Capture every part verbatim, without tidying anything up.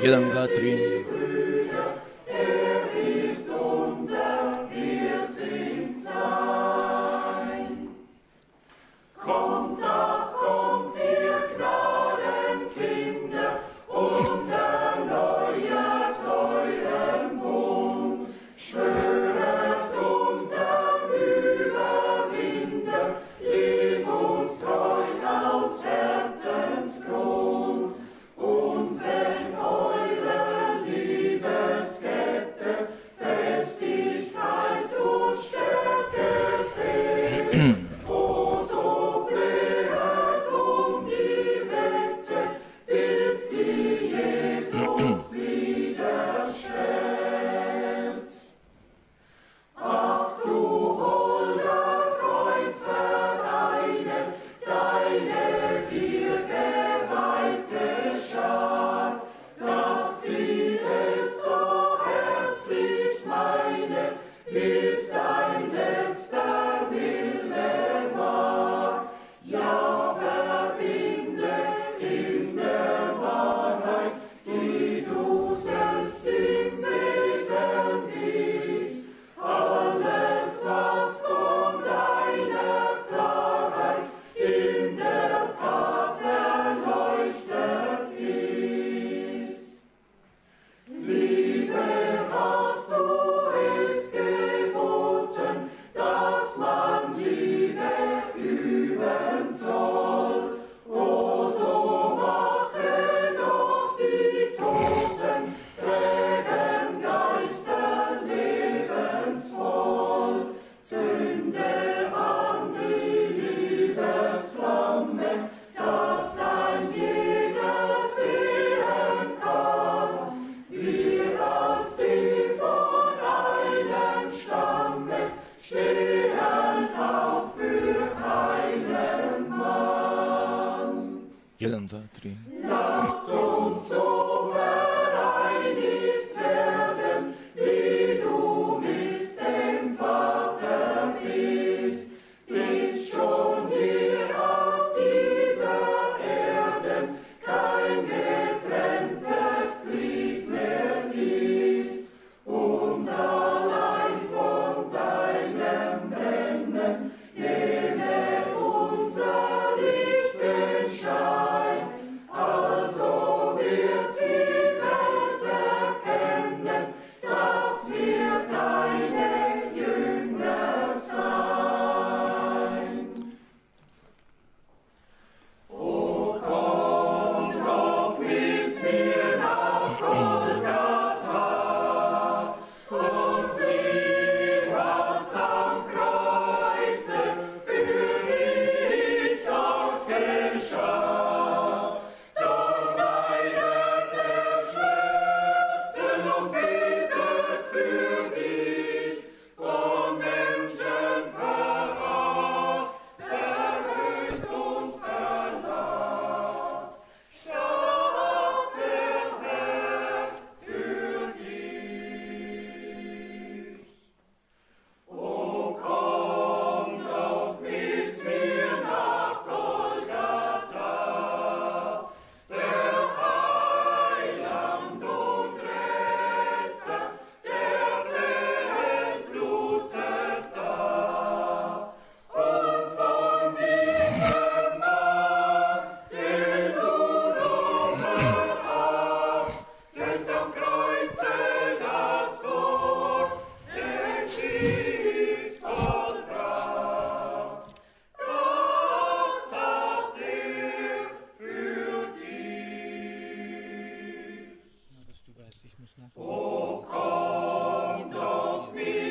Jedan, dva, tri. Jeden, dva, tri. Lass uns so vereinigt werden, wie du mit dem Vater bist, bis schon hier auf dieser Erde kein getrenntes Glied mehr ist, und allein von deinem Brennen nehme unser Lichtenschein. Also wird die Welt erkennen, dass wir deine Jünger sein. O komm doch mit mir nach Golgatha und sieh, was am Kreuze für dich dort geschah.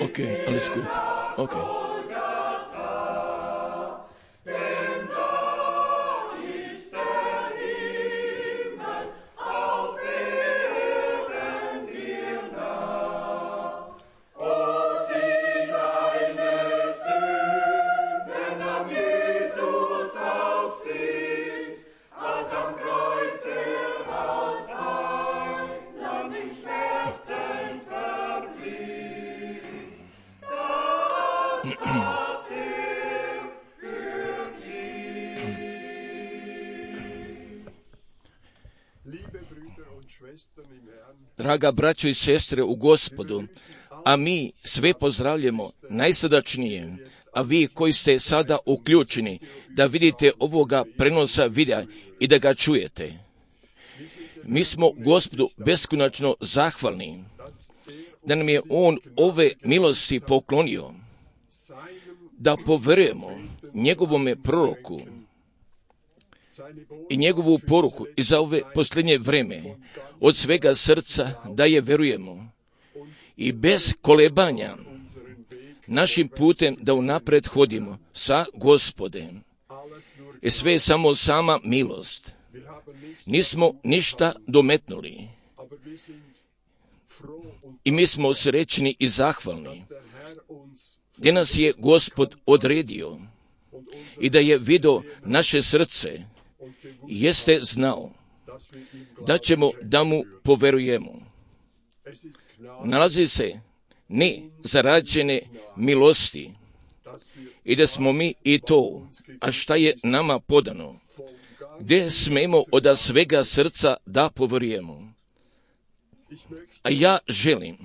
Okay, alles gut. Okay. Draga braćo i sestre u Gospodu, a mi sve pozdravljamo najsrdačnije, a vi koji ste sada uključeni da vidite ovoga prenosa videa i da ga čujete. Mi smo Gospodu beskonačno zahvalni da nam je On ove milosti poklonio, da poverujemo njegovome proroku i njegovu poruku i za ove posljednje vreme od svega srca da je verujemo i bez kolebanja našim putem da unapred hodimo sa Gospodem. I sve je samo sama milost. Nismo ništa dometnuli. I mi smo srećni i zahvalni gdje nas je Gospod odredio i da je vidio naše srce, jeste znao da ćemo da mu poverujemo. Nalazi se ne zarađene milosti i da smo mi i to, a šta je nama podano, gdje smemo od svega srca da poverujemo. A ja želim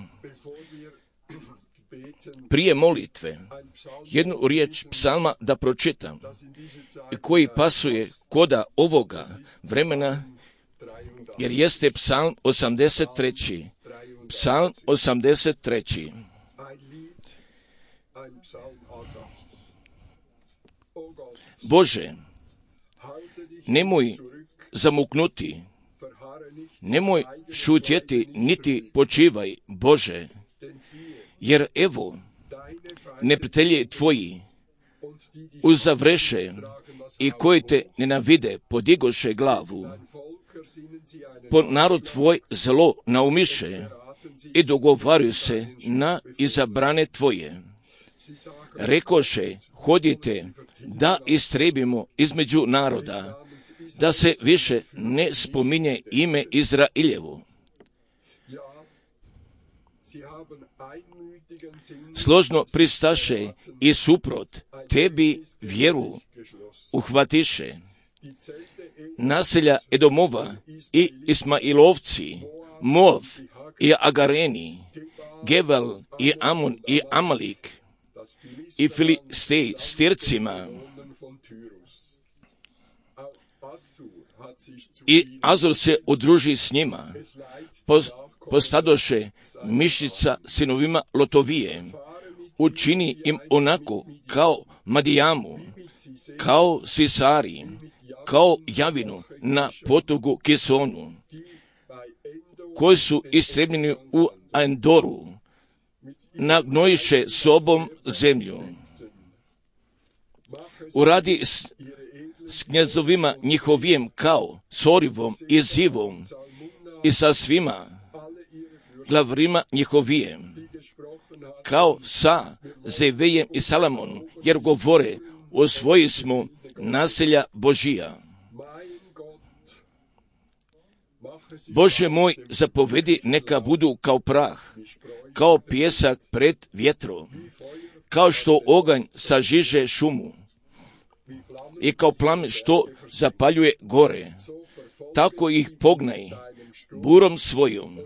prije molitve jednu riječ psalma da pročitam, koji pasuje koda ovoga vremena, jer jeste psalm osamdeset treći. Psalm osamdeset treći. Bože, nemoj zamuknuti, nemoj šutjeti, niti počivaj, Bože, jer evo, neprijatelji tvoji uzavreše i koji te nenavide podigoše glavu. Po narod tvoj zlo naumiše i dogovaraju se na izabrane tvoje. Rekoše, hodite da istrebimo između naroda, da se više ne spominje ime Izrailjevo. Složno pristaše i suprot tebi vjeru uhvatiše. Naselja Edomova i Ismailovci, Moav i Agareni, Gebal i Amon i Amalik i Filistej s Tircima i Azor se udruži s njima. Postadoše mišica sinovima Lotovije, učini im onako kao Madijamu, kao Sisari, kao Javinu na potogu Kisonu, koji su istrebljeni u Endoru, nagnojiše sobom zemlju. Uradi s, s knjazovima njihovijem kao Sorivom i Zivom i sa svima glavrima njihovijem, kao sa Zevejem i Salamonom, jer govore, osvoji smo naselja Božija. Bože moj, zapovedi neka budu kao prah, kao pijesak pred vjetrom, kao što oganj sažiže šumu i kao plamen što zapaljuje gore, tako ih pognaj burom svojom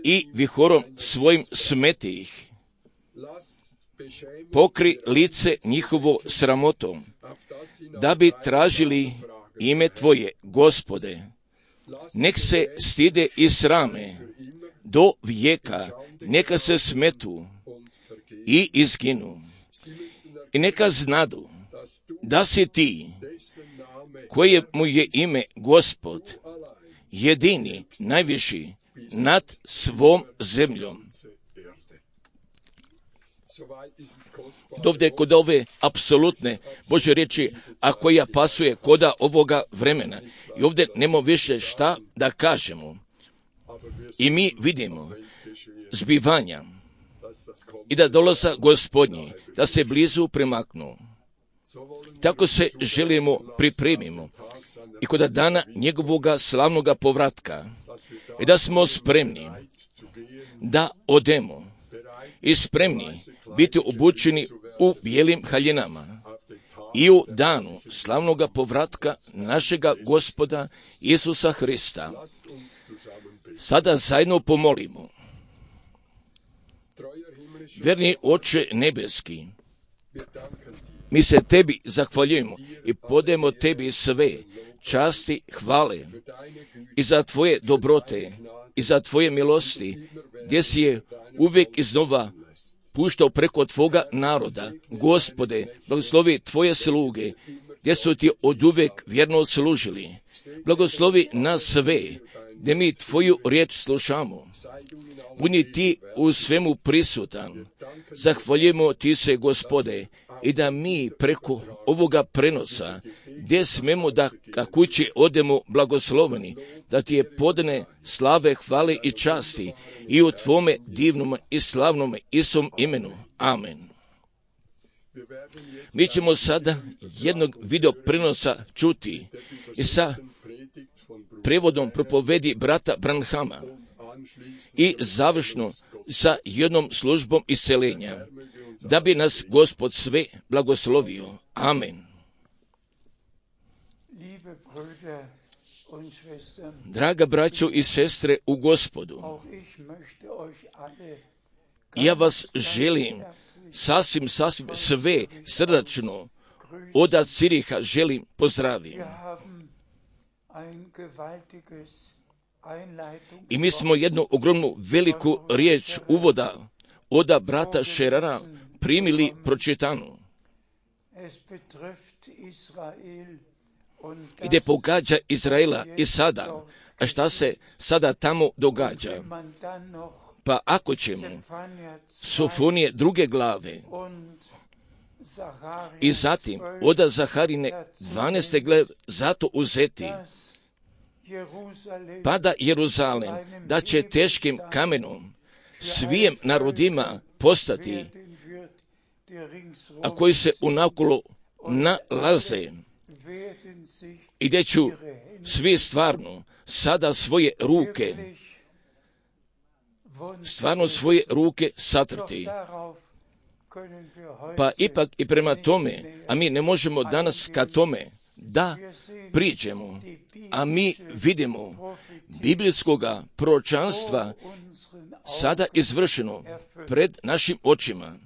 i vihorom svojim smeti ih. Pokri lice njihovo sramotom, da bi tražili ime Tvoje, Gospode. Nek se stide i srame do vijeka, neka se smetu i izginu. I neka znadu da si ti, koje mu je ime Gospod, jedini, najviši nad svom zemljom. Dovde kod ove apsolutne Božje riječi, a koja pasuje koda ovoga vremena. I ovdje nema više šta da kažemo. I mi vidimo zbivanja i da dolaza Gospodnji, da se blizu premaknu. Tako se želimo pripremimo i kod dana njegovoga slavnoga povratka i da smo spremni da odemo i spremni biti obučeni u bijelim haljinama i u danu slavnoga povratka našega Gospoda Isusa Hrista. Sada zajedno pomolimo. Verni Oče nebeski, mi se tebi zahvaljujemo i podajemo tebi sve časti, hvale i za tvoje dobrote i za tvoje milosti, gdje si je uvijek iznova puštao preko tvoga naroda. Gospode, blagoslovi tvoje sluge, gdje su ti oduvijek vjerno služili. Blagoslovi nas sve, gdje mi tvoju riječ slušamo. Budi ti u svemu prisutan. Zahvaljujemo ti se, Gospode, i da mi preko ovoga prenosa, gdje smemo da ka kući odemo blagosloveni, da ti je podane slave, hvale i časti i u tvome divnom i slavnom Isom imenu. Amen. Mi ćemo sada jednog video prenosa čuti i sa prevodom propovedi brata Branhama i završno sa jednom službom isceljenja, da bi nas Gospod sve blagoslovio. Amen. Draga braćo i sestre u Gospodu, ja vas želim sasvim, sasvim sve srdačno od Ciriha želim pozdraviti. I mi smo jednu ogromnu veliku riječ uvoda od brata Šerara primili pročitanu, gdje pogađa Izraela i sada, a šta se sada tamo događa. Pa ako ćemo Sofonije druge glave i zatim od Zaharine dvanaeste glave zato uzeti, pa da Jeruzalem, da će teškim kamenom svijem narodima postati, a koji se unakolo nalaze, i gdje ću svi stvarno sada svoje ruke, stvarno svoje ruke satrti. Pa ipak i prema tome, a mi ne možemo danas ka tome da priđemo, a mi vidimo biblijskoga proročanstva sada izvršeno pred našim očima.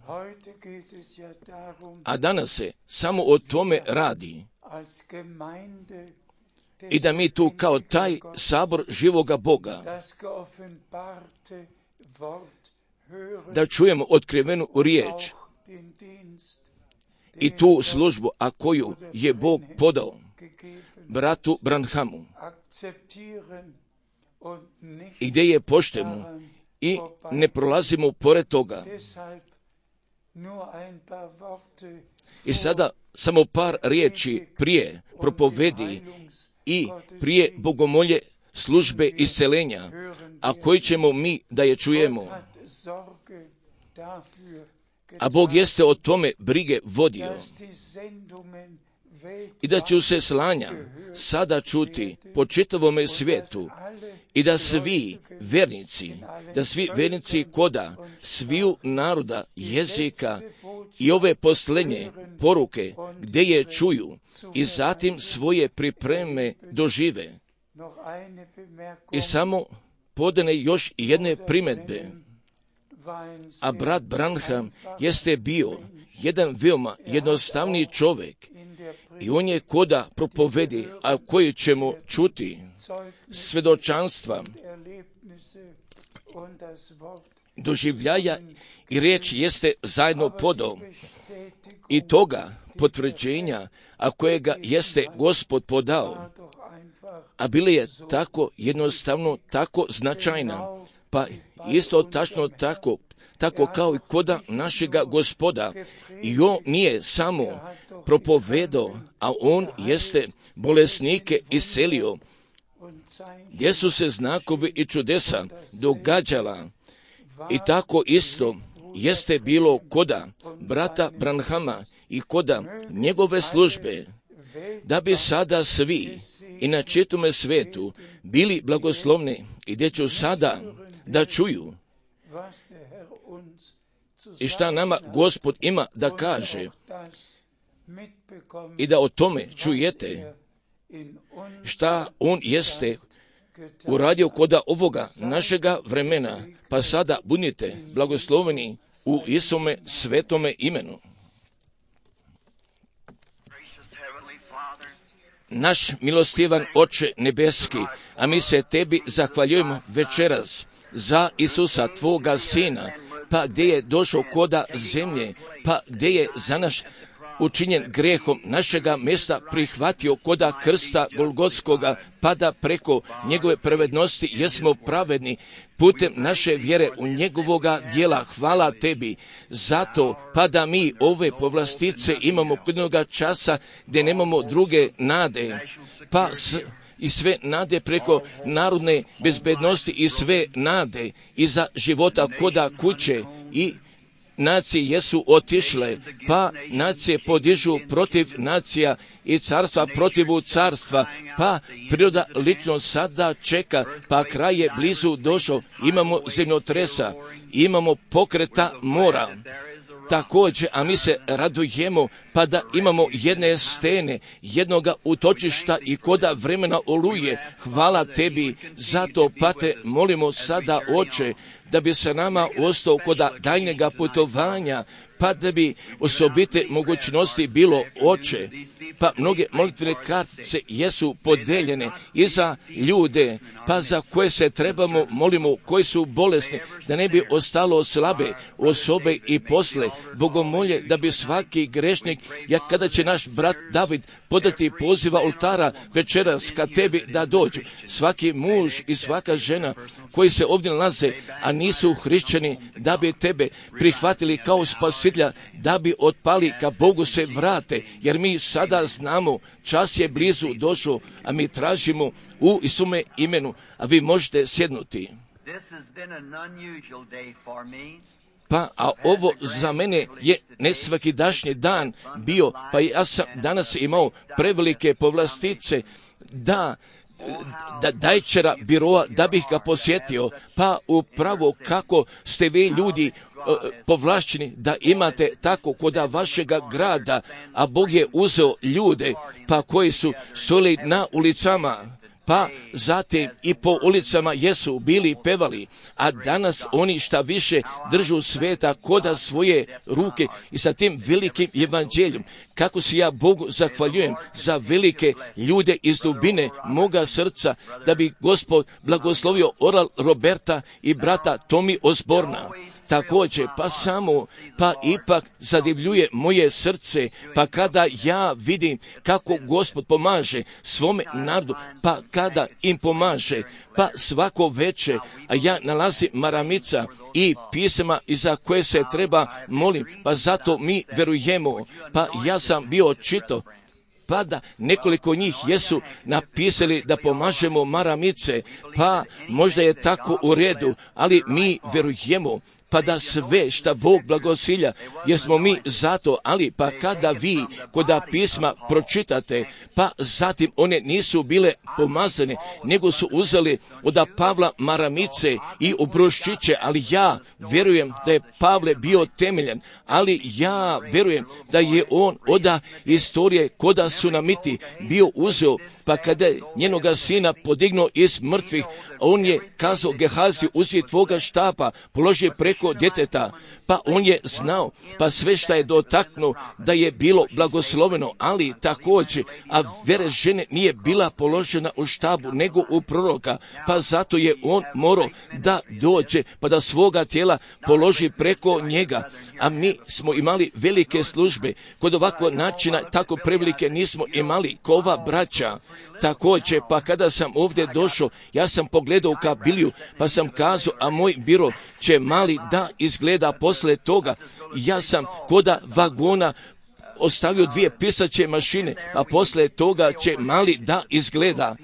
A danas se samo o tome radi. I da mi tu kao taj sabor živoga Boga, da čujemo otkrivenu riječ i tu službu, a koju je Bog podao bratu Branhamu, i gdje je poštujemo i ne prolazimo pored toga. I sada samo par riječi prije propovedi i prije bogomolje službe isceljenja, a koji ćemo mi da je čujemo. A Bog jeste o tome brige vodio i da će se slanja sada čuti po čitavome svijetu i da svi vernici, da svi vernici koda sviju naroda, jezika i ove posljednje poruke gdje je čuju i zatim svoje pripreme dožive. I samo podane još jedne primjedbe. A brat Branham jeste bio jedan veoma jednostavni čovjek i on je koda propovedi, a koji ćemo čuti svjedočanstva, doživljaja i riječ jeste zajedno podao i toga potvrđenja, a kojega jeste Gospod podao, a bili je tako jednostavno, tako značajna, pa isto tačno tako, tako kao i koda našega Gospoda. I on nije samo propovedao, a on jeste bolesnike iscelio, gdje su se znakovi i čudesa događala. I tako isto jeste bilo koda brata Branhama i koda njegove službe, da bi sada svi i na čitome svijetu bili blagoslovni i gdje ću sada da čuju i šta nama Gospod ima da kaže i da o tome čujete šta on jeste uradio koda ovoga našega vremena, pa sada budite blagosloveni u Isome svetome imenu. Naš milostivan Oče nebeski, a mi se tebi zahvaljujemo večeras za Isusa, tvoga Sina, pa gdje je došao koda zemlje, pa gdje je za naš učinjen grehom našega mjesta prihvatio koda krsta Golgotskoga, pa da preko njegove pravednosti jesmo pravedni putem naše vjere u njegovoga djela. Hvala tebi zato, pa da mi ove povlastice imamo jednoga časa gdje nemamo druge nade, pa s i sve nade preko narodne bezbednosti i sve nade iza života koda kuće i nacije jesu otišle, pa nacije podižu protiv nacija i carstva protivu carstva, pa priroda lično sada čeka, pa kraj je blizu došao, imamo zemljotresa, imamo pokreta mora. Također, a mi se radujemo, pa da imamo jedne stene, jednoga utočišta i koda vremena oluje. Hvala tebi, zato pa te molimo sada, Oče, da bi se nama ostao koda daljnjega putovanja, pa da bi osobite mogućnosti bilo, Oče, pa mnoge molitvene kartice jesu podeljene i za ljude, pa za koje se trebamo, molimo, koji su bolesni, da ne bi ostalo slabe osobe i posle. Bogomolje da bi svaki grešnik, jak kada će naš brat David podati poziva oltara večeras ka tebi da dođu, svaki muž i svaka žena koji se ovdje nalaze, a nisu hrišćani, da bi tebe prihvatili kao spasitelja, da bi otpali ka Bogu se vrate, jer mi sada znamo, čas je blizu došao, a mi tražimo u Isume imenu, a vi možete sjednuti. Pa, a ovo za mene je nesvakidašnji dan bio, pa ja sam danas imao prevelike povlastice da da dajčera biroa, da bih ga posjetio, pa upravo kako ste vi ljudi povlašćeni da imate tako koda vašega grada, a Bog je uzeo ljude, pa koji su stojali na ulicama, pa zatim i po ulicama jesu bili pevali, a danas oni šta više držu sveta koda svoje ruke i sa tim velikim evanđeljom. Kako se ja Bogu zahvaljujem za velike ljude iz dubine moga srca, da bi Gospod blagoslovio Oral Roberta i brata Tomi Osborna. Također, pa samo, pa ipak zadivljuje moje srce, pa kada ja vidim kako Gospod pomaže svome narodu, pa kada im pomaže, pa svako veče, a ja nalazim maramica i pisama iza koje se treba molim, pa zato mi verujemo, pa ja sam bio čito, pa da nekoliko njih jesu napisali da pomažemo maramice, pa možda je tako u redu, ali mi verujemo, pa da sve šta Bog blagosilja, jer smo mi zato, ali pa kada vi koda pisma pročitate, pa zatim one nisu bile pomazane, nego su uzeli od Pavla maramice i obruščiće, ali ja verujem da je Pavle bio temeljan, ali ja verujem da je on od istorije koda Sunamiti bio uzeo, pa kada je njenoga sina podignuo iz mrtvih, on je kazao Gehazi, uzi tvoga štapa, položi preko djeteta, pa on je znao, pa sve šta je dotaknuo da je bilo blagosloveno, ali također, a vere žene nije bila položena u štabu, nego u proroka, pa zato je on morao da dođe, pa da svoga tijela položi preko njega, a mi smo imali velike službe, kod ovakvog načina tako prevelike nismo imali kova braća. Također, pa kada sam ovdje došao, ja sam pogledao ka Biliju, pa sam kazao, a moj biro će mali da izgleda posle toga. Ja sam koda vagona ostavio dvije pisaće mašine, a posle toga će mali da izgleda.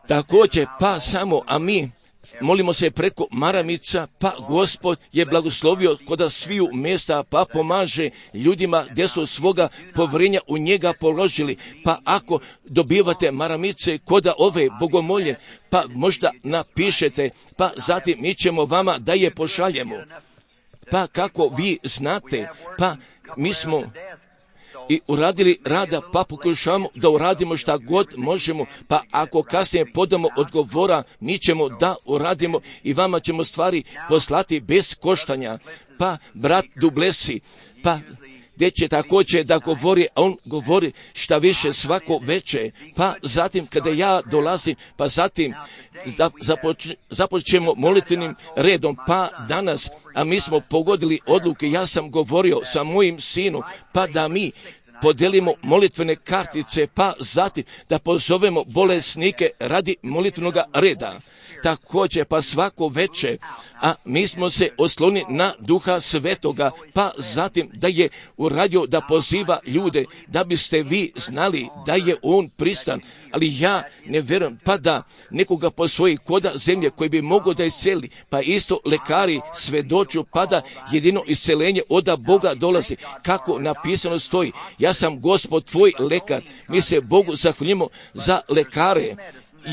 Također, pa samo, a mi molimo se preko maramica, pa Gospod je blagoslovio koda sviju mjesta, pa pomaže ljudima gdje su svoga povjerenja u njega položili. Pa ako dobivate maramice koda ove bogomolje, pa možda napišete, pa zatim mi ćemo vama da je pošaljemo. Pa kako vi znate, pa mi smo i uradili rada, pa pokušavamo da uradimo šta god možemo, pa ako kasnije podamo odgovora, mi ćemo da uradimo i vama ćemo stvari poslati bez koštanja. Pa brat Dublesi, pa gdje će također da govori, a on govori šta više svako veće, pa zatim kada ja dolazim, pa zatim da započ, započnemo molitvenim redom, pa danas, a mi smo pogodili odluke, ja sam govorio sa mojim sinom, pa da mi podelimo molitvene kartice, pa zatim da pozovemo bolesnike radi molitvenog reda. Također, pa svako veče, a mi smo se oslonili na Duha Svetoga, pa zatim da je uradio da poziva ljude, da biste vi znali da je on pristan, ali ja ne vjerujem, pa da nekoga po svoji koda zemlje koji bi mogao da isceli, pa isto lekari svedoču, pa da jedino iscelenje od Boga dolazi, kako napisano stoji. Ja sam Gospod tvoj lekar, mi se Bogu zahvaljujemo za lekare.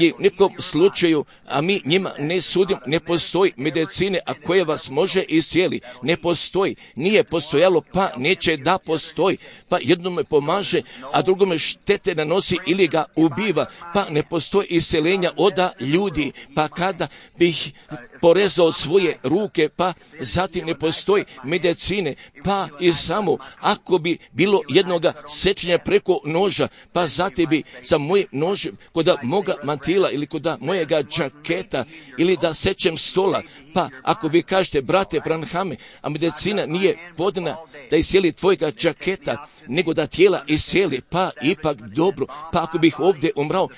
I u nekom slučaju, a mi njima ne sudimo, ne postoji medicine, a koje vas može iscijeli. Ne postoji, nije postojalo, pa neće da postoji. Pa jednome pomaže, a drugome štete nanosi ili ga ubiva. Pa ne postoji isceljenja oda ljudi. Pa kada bih porezao svoje ruke, pa zatim ne postoji medicine, pa i samo ako bi bilo jednoga sečenja preko noža, pa zatim bi sa mojim nožem kod moga mantila ili kod mojega džaketa ili da sečem stola, pa ako vi kažete, brate Branhame, a medicina nije podana da iscijeli tvojega džaketa, nego da tijela iscijeli, pa ipak dobro, pa ako bih ovdje umrao,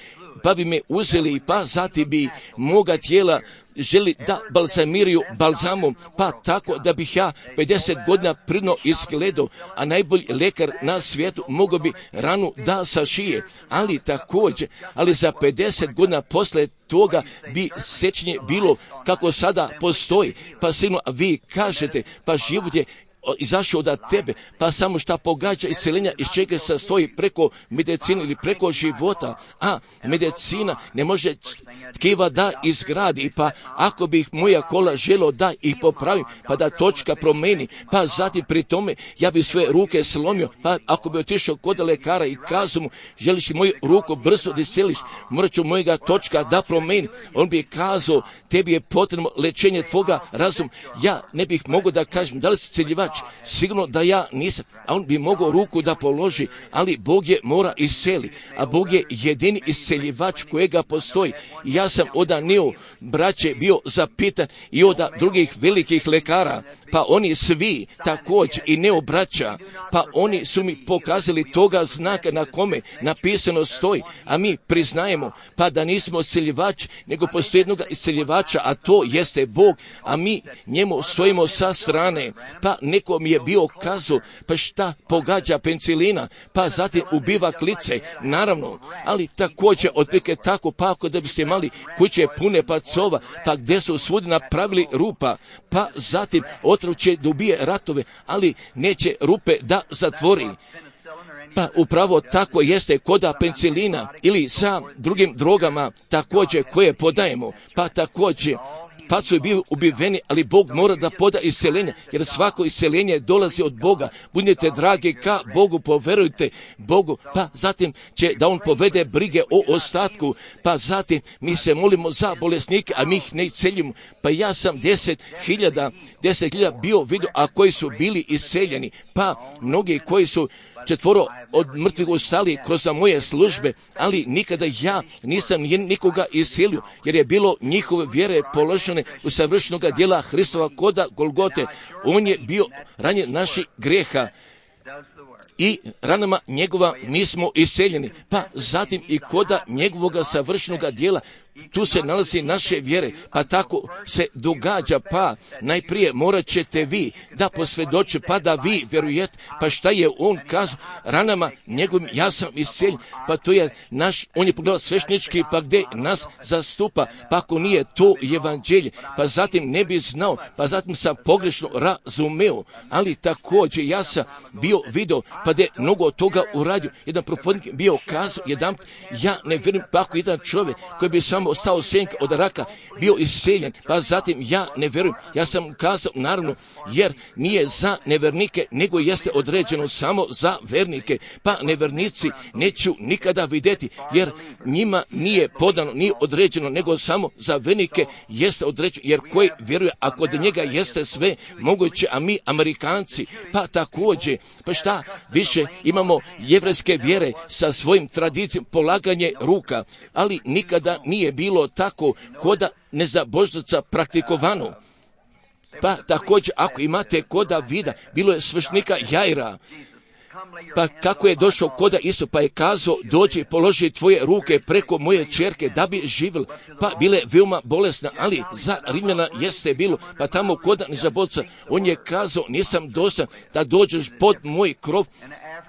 pa bi me uzeli, pa zatim bi moga tijela želi da balzamiraju balzamom, pa tako da bih ja pedeset godina pridno izgledao, a najbolji lekar na svijetu mogao bi ranu da sašije, ali također, ali za pedeset godina posle toga bi sečenje bilo kako sada postoji, pa sigurno vi kažete, pa život je izašao od tebe, pa samo šta pogađa isceljenja iz čega se stoji preko medicine ili preko života, a medicina ne može tkiva da izgradi, pa ako bih moja kola želo da ih popravim, pa da točka promeni, pa zatim pri tome ja bi sve ruke slomio, pa ako bi otišao kod lekara i kazao mu, želiš li moju ruku brzo da isceliš, morat ću mojega točka da promeni, on bi kazao, tebi je potrebno lečenje tvoga razuma, ja ne bih mogao da kažem, da li si celjivač, sigurno da ja nisam, a on bi mogao ruku da položi, ali Bog je mora isceli, a Bog je jedini isceljivač kojega postoji. I ja sam oda neo braće bio zapitan i oda drugih velikih lekara, pa oni svi također i neo braća, pa oni su mi pokazali toga znaka na kome napisano stoji, a mi priznajemo pa da nismo isceljivač, nego postoji jednog isceljivača, a to jeste Bog, a mi njemu stojimo sa strane, pa neko mi je bio kazao, pa šta pogađa penicilina, pa zatim ubiva klice, naravno, ali također otprilike tako, pa ako da biste imali kuće pune pacova, pa gdje su svudi napravili rupa, pa zatim otrov će da ubije ratove, ali neće rupe da zatvori. Pa upravo tako jeste koda penicilina ili sa drugim drogama također koje podajemo, pa također pa su bili ubiveni, ali Bog mora da poda isceljenje, jer svako isceljenje dolazi od Boga. Budite dragi ka Bogu, poverujte Bogu, pa zatim će da on povede brige o ostatku, pa zatim mi se molimo za bolesnike, a mi ih ne isceljimo. Pa ja sam deset hiljada, deset hiljada bio vidio, a koji su bili isceljeni, pa mnogi koji su četvoro od mrtvih ustali kroz moje službe, ali nikada ja nisam nikoga iscelio, jer je bilo njihove vjere položene u savršenoga djela Hristova koda Golgote. On je bio ranjen naših grijeha i ranama njegova mi smo isceljeni, pa zatim i koda njegovoga savršenoga djela tu se nalazi naše vjere, pa tako se događa, pa najprije morat ćete vi da posvjedoče, pa da vi vjerujete, pa šta je on kazao, ranama njegovim ja sam isceljen, pa to je naš, on je pogledao sveštenički, pa gdje nas zastupa, pa ako nije to evanđelje, pa zatim ne bi znao, pa zatim sam pogrešno razumeo, ali također ja sam bio vidio video, pa da je mnogo toga uradio. Jedan profetnik bio kazao jedan, ja ne vjerujem pa ako jedan čovjek koji bi samo ostao senka od raka bio iseljen, pa zatim ja ne vjerujem. Ja sam kazao naravno, jer nije za nevernike, nego jeste određeno samo za vernike, pa nevernici neću nikada vidjeti, jer njima nije podano, nije određeno, nego samo za vernike jeste određeno, jer koji vjeruje, a kod njega jeste sve moguće, a mi Amerikanci, pa također, pa šta više imamo jevrejske vjere sa svojim tradicijom, polaganje ruka, ali nikada nije bilo tako koda nezabožnica praktikovano. Pa također, ako imate koda vida, bilo je svršnika Jaira, pa kako je došao koda isto, pa je kazao, dođi položi tvoje ruke preko moje ćerke da bi živjela, pa bile veoma bolesna, ali za Rimljana jeste bilo, pa tamo koda nezabožca, on je kazao, nisam dostojan da dođeš pod moj krov,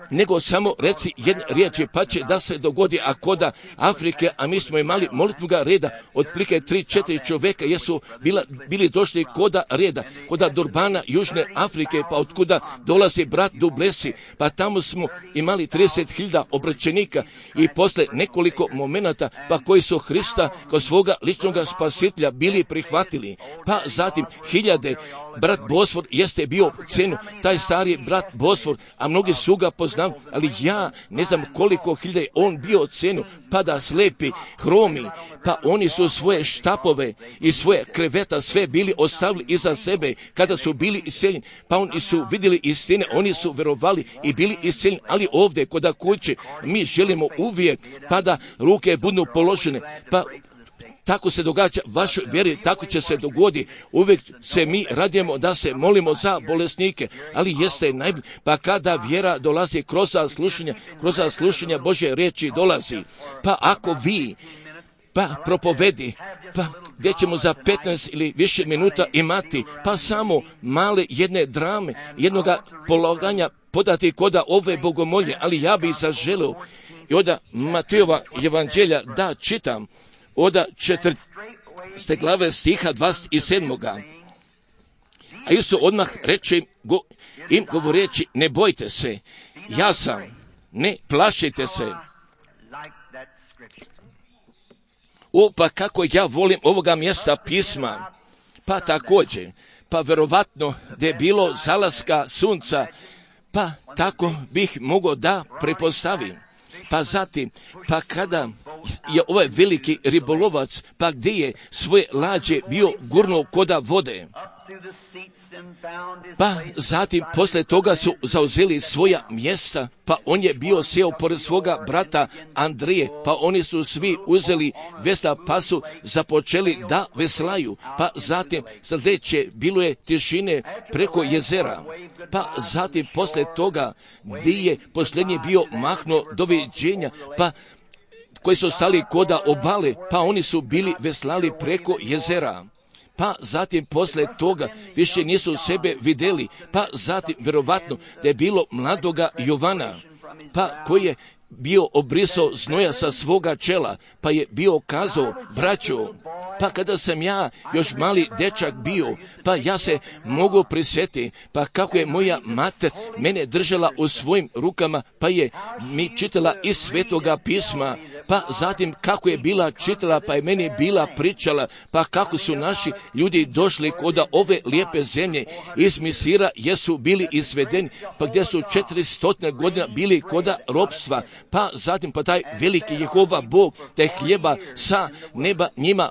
nego samo reci jedne riječi, pa će da se dogodi, a koda Afrike, a mi smo imali molitvoga reda, otprilike tri, četiri čovjeka jesu bila, bili došli koda reda, koda Durbana, Južne Afrike, pa otkuda dolazi brat Dublesi, pa tamo smo imali trideset hiljada obraćenika i posle nekoliko momenata, pa koji su Hrista kao svoga ličnog spasitelja bili prihvatili, pa zatim hiljade, brat Bosfor jeste bio cenu, taj stari brat Bosfor, a mnogi su ga poznali, ali ja ne znam koliko hiljada je on bio cenu, pa da slepi, hromi, pa oni su svoje štapove i svoje kreveta sve bili ostavili iza sebe kada su bili iseljeni, pa oni su vidjeli istine, oni su verovali i bili iseljeni, ali ovdje kod kuće mi želimo uvijek pa da ruke budu položene, pa tako se događa vašoj vjeri, tako će se dogoditi. Uvijek se mi radimo da se molimo za bolesnike, ali jeste najbolje. Pa kada vjera dolazi kroz slušanja, kroz slušanja Božje riječi dolazi. Pa ako vi, pa propovedi, pa gdje ćemo za petnaest ili više minuta imati, pa samo male jedne drame, jednoga polaganja podati koda ove bogomolje, ali ja bih zaželio i onda Matejova evanđelja da čitam, oda četrnaeste glave stiha dvadeset sedam. A Isus odmah reče go, im govoreći, ne bojte se, ja sam, ne plašite se. O, pa kako ja volim ovoga mjesta pisma, pa također, pa verovatno da je bilo zalaska sunca, pa tako bih mogao da prepostavim. Pa zatim, pa kada je ovaj veliki ribolovac, pa gdje je svoje lađe bio gurnuo koda vode, pa zatim posle toga su zauzeli svoja mjesta, pa on je bio sjeo pored svoga brata Andrije, pa oni su svi uzeli vesla, pa su započeli da veslaju, pa zatim sljedeće bilo je tišine preko jezera, pa zatim posle toga gdje je posljednji bio mahnuo doviđenja, pa koji su stali koda obale, pa oni su bili veslali preko jezera. Pa zatim posle toga više nisu sebe vidjeli, pa zatim verovatno da je bilo mladoga Jovana, pa koji je bio obrisao znoja sa svoga čela, pa je bio kazao, braćo, pa kada sam ja još mali dečak bio, pa ja se mogu prisjetiti, pa kako je moja mater mene držala u svojim rukama, pa je mi čitala iz Svetoga pisma, pa zatim kako je bila čitala, pa je meni bila pričala, pa kako su naši ljudi došli kod ove lijepe zemlje iz Misira, jesu bili izvedeni, pa gdje su četiristo godina bili kod ropstva, pa zatim pa taj veliki Jehova Bog, taj hljeba sa neba njima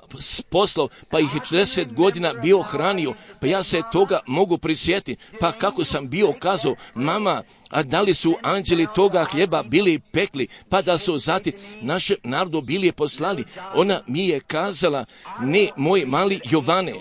poslao, pa ih je četrdeset godina bio hranio, pa ja se toga mogu prisjetiti, pa kako sam bio kazao, mama, a da li su anđeli toga hljeba bili pekli, pa da su zatim našem narodu bili poslali, ona mi je kazala, ne moj mali Jovane,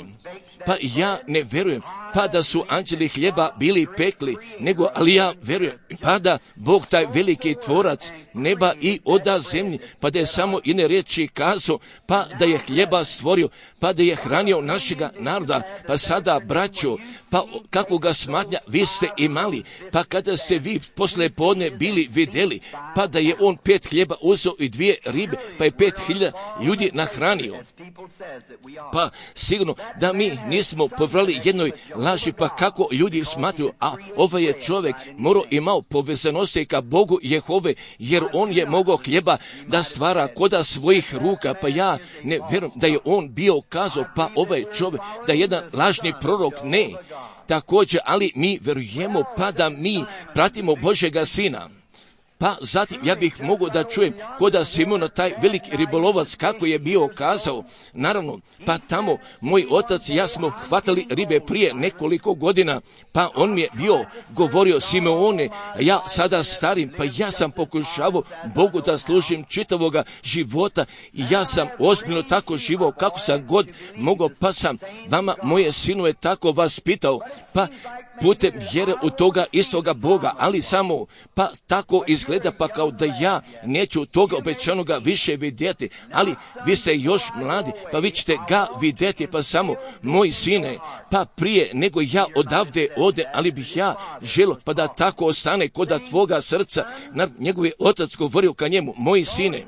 pa ja ne vjerujem, pa da su anđeli hljeba bili pekli, nego, ali ja vjerujem, pa da Bog taj veliki tvorac neba i oda zemlji, pa da je samo jedne riječi kazao, pa da je hljeba stvorio, pa da je hranio našega naroda, pa sada braćo, pa kakvoga smatnja vi ste imali, pa kada ste vi posle podne bili vidjeli, pa da je on pet hljeba uzeo i dvije ribe, pa je pet hiljada ljudi nahranio. Pa sigurno da mi nismo povrali jednoj laži, pa kako ljudi smatruju, a ovaj je čovjek morao imao povezanosti ka Bogu Jehove, jer on je mogao hljeba da stvara koda svojih ruka, pa ja ne vjerujem da je on bio kazao, pa ovaj čovjek, da je jedan lažni prorok, ne. Također, ali mi vjerujemo pa da mi pratimo Božjega Sina. Pa zatim ja bih mogao da čujem koda Simona, taj veliki ribolovac, kako je bio kazao. Naravno, pa tamo moj otac i ja smo hvatali ribe prije nekoliko godina, pa on mi je bio govorio, Simeone, ja sada starim, pa ja sam pokušavao Bogu da služim čitavoga života i ja sam ozbiljno tako živao kako sam god mogao, pa sam vama, moje sinove, tako vas pitao, pa putem vjere u toga istoga Boga, ali samo pa tako izgleda, pa kao da ja neću toga obećanoga više vidjeti, ali vi ste još mladi, pa vi ćete ga vidjeti, pa samo moj sine, pa prije nego ja odavde ode, ali bih ja želio pa da tako ostane koda tvoga srca. Na njegovi otac govorio ka njemu, moj sine,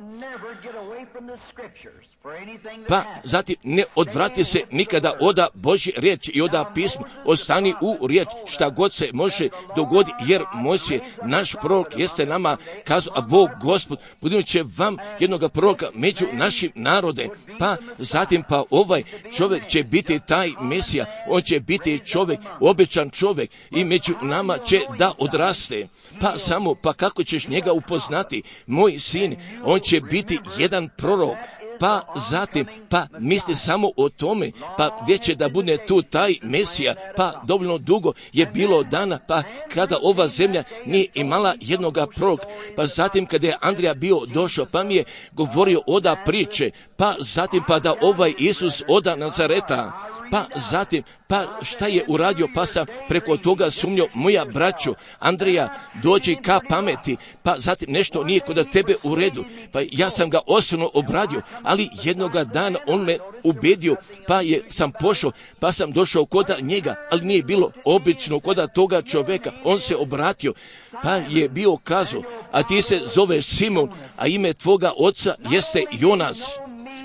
pa zatim ne odvrati se nikada oda Božje riječi i oda pismo, ostani u riječ šta god se može dogoditi, jer Mojsije, naš prorok, jeste nama kazao, a Bog Gospod budimo će vam jednoga proroka među našim narode, pa zatim pa ovaj čovjek će biti taj Mesija, on će biti čovjek, obećan čovjek i među nama će da odraste, pa samo pa kako ćeš njega upoznati, moj sin, on će biti jedan prorok. Pa zatim, pa misli samo o tome, pa gdje će da bude tu taj Mesija, pa dovoljno dugo je bilo dana, pa kada ova zemlja nije imala jednoga proroka, pa zatim kada je Andrija bio došao, pa mi je govorio oda priče, pa zatim pa da ovaj Isus oda Nazareta, pa zatim, pa šta je uradio, pa sam preko toga sumnjao, moja braćo, Andrija, dođi ka pameti, pa zatim nešto nije kod tebe u redu, pa ja sam ga osobno obradio, ali jednoga dana on me ubedio, pa je sam pošao, pa sam došao kod njega, ali nije bilo obično kod toga čovjeka, on se obratio, pa je bio kazao, a ti se zoveš Simon, a ime tvoga oca jeste Jonas.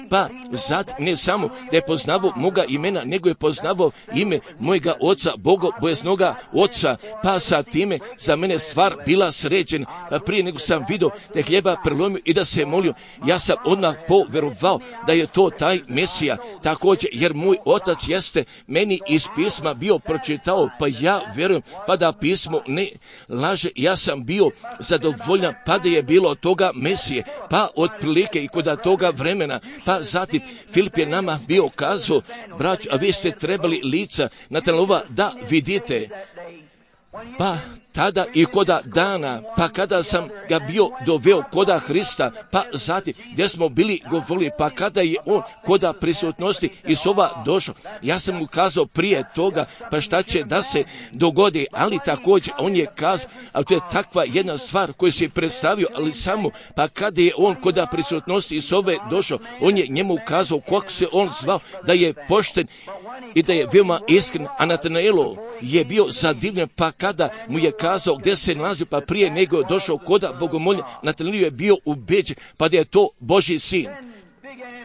Pa zad ne samo da je poznavao moga imena, nego je poznavao ime mojega oca, bogobojaznoga oca, pa sa time za mene stvar bila sređena, pa prije nego sam vidio da je hljeba prelomio i da se molio, ja sam odmah poverovao da je to taj Mesija, također jer moj otac jeste meni iz pisma bio pročitao, pa ja vjerujem pa da pismo ne laže, ja sam bio zadovoljan pa da je bilo toga Mesije, pa otprilike i kod toga vremena, pa zatim Filip je nama bio kazao, brać, a vi ste trebali lica Natanova da vidite. Pa tada i koda dana, pa kada sam ga bio doveo koda Hrista, pa zatim gdje smo bili govorili, pa kada je on koda prisutnosti Isova došao, ja sam mu kazao prije toga, pa šta će da se dogodi, ali također on je kazao, ali to je takva jedna stvar koju se predstavio, ali samo, pa kada je on koda prisutnosti Isove došao, on je njemu kazao kako se on zvao, da je pošten i da je veoma iskren, a Natanaelu je bio zadivljen, pa kada mu je kazao gdje se nalazio, pa prije nego je došao koda bogomolja, Natanaelu je bio ubeđen, pa da je to Božji sin.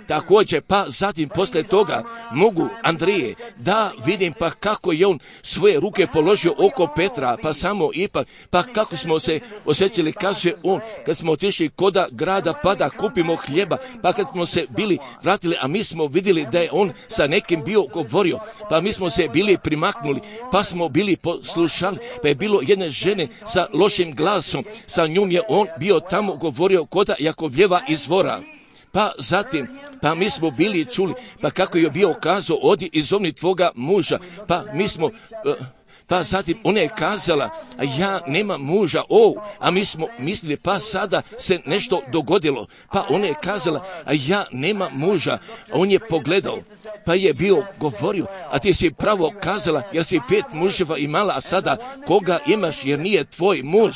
Također, pa zatim posle toga mogu Andrije da vidim pa kako je on svoje ruke položio oko Petra, pa samo ipak, pa kako smo se osjećali, kaže on, kad smo otišli koda grada pa da kupimo hljeba, pa kad smo se bili vratili, a mi smo vidjeli da je on sa nekim bio govorio, pa mi smo se bili primaknuli, pa smo bili poslušali, pa je bilo jedne žene sa lošim glasom, sa njom je on bio tamo govorio koda Jakovljeva izvora. Pa zatim, pa mi smo bili čuli, pa kako je bio kazao, odi i zovni tvoga muža, pa mi smo, pa zatim ona je kazala, a ja nemam muža, o, a mi smo mislili, pa sada se nešto dogodilo, pa ona je kazala, a ja nemam muža, a on je pogledao, pa je bio govorio, a ti si pravo kazala, jer si pet muževa imala, a sada koga imaš, jer nije tvoj muž.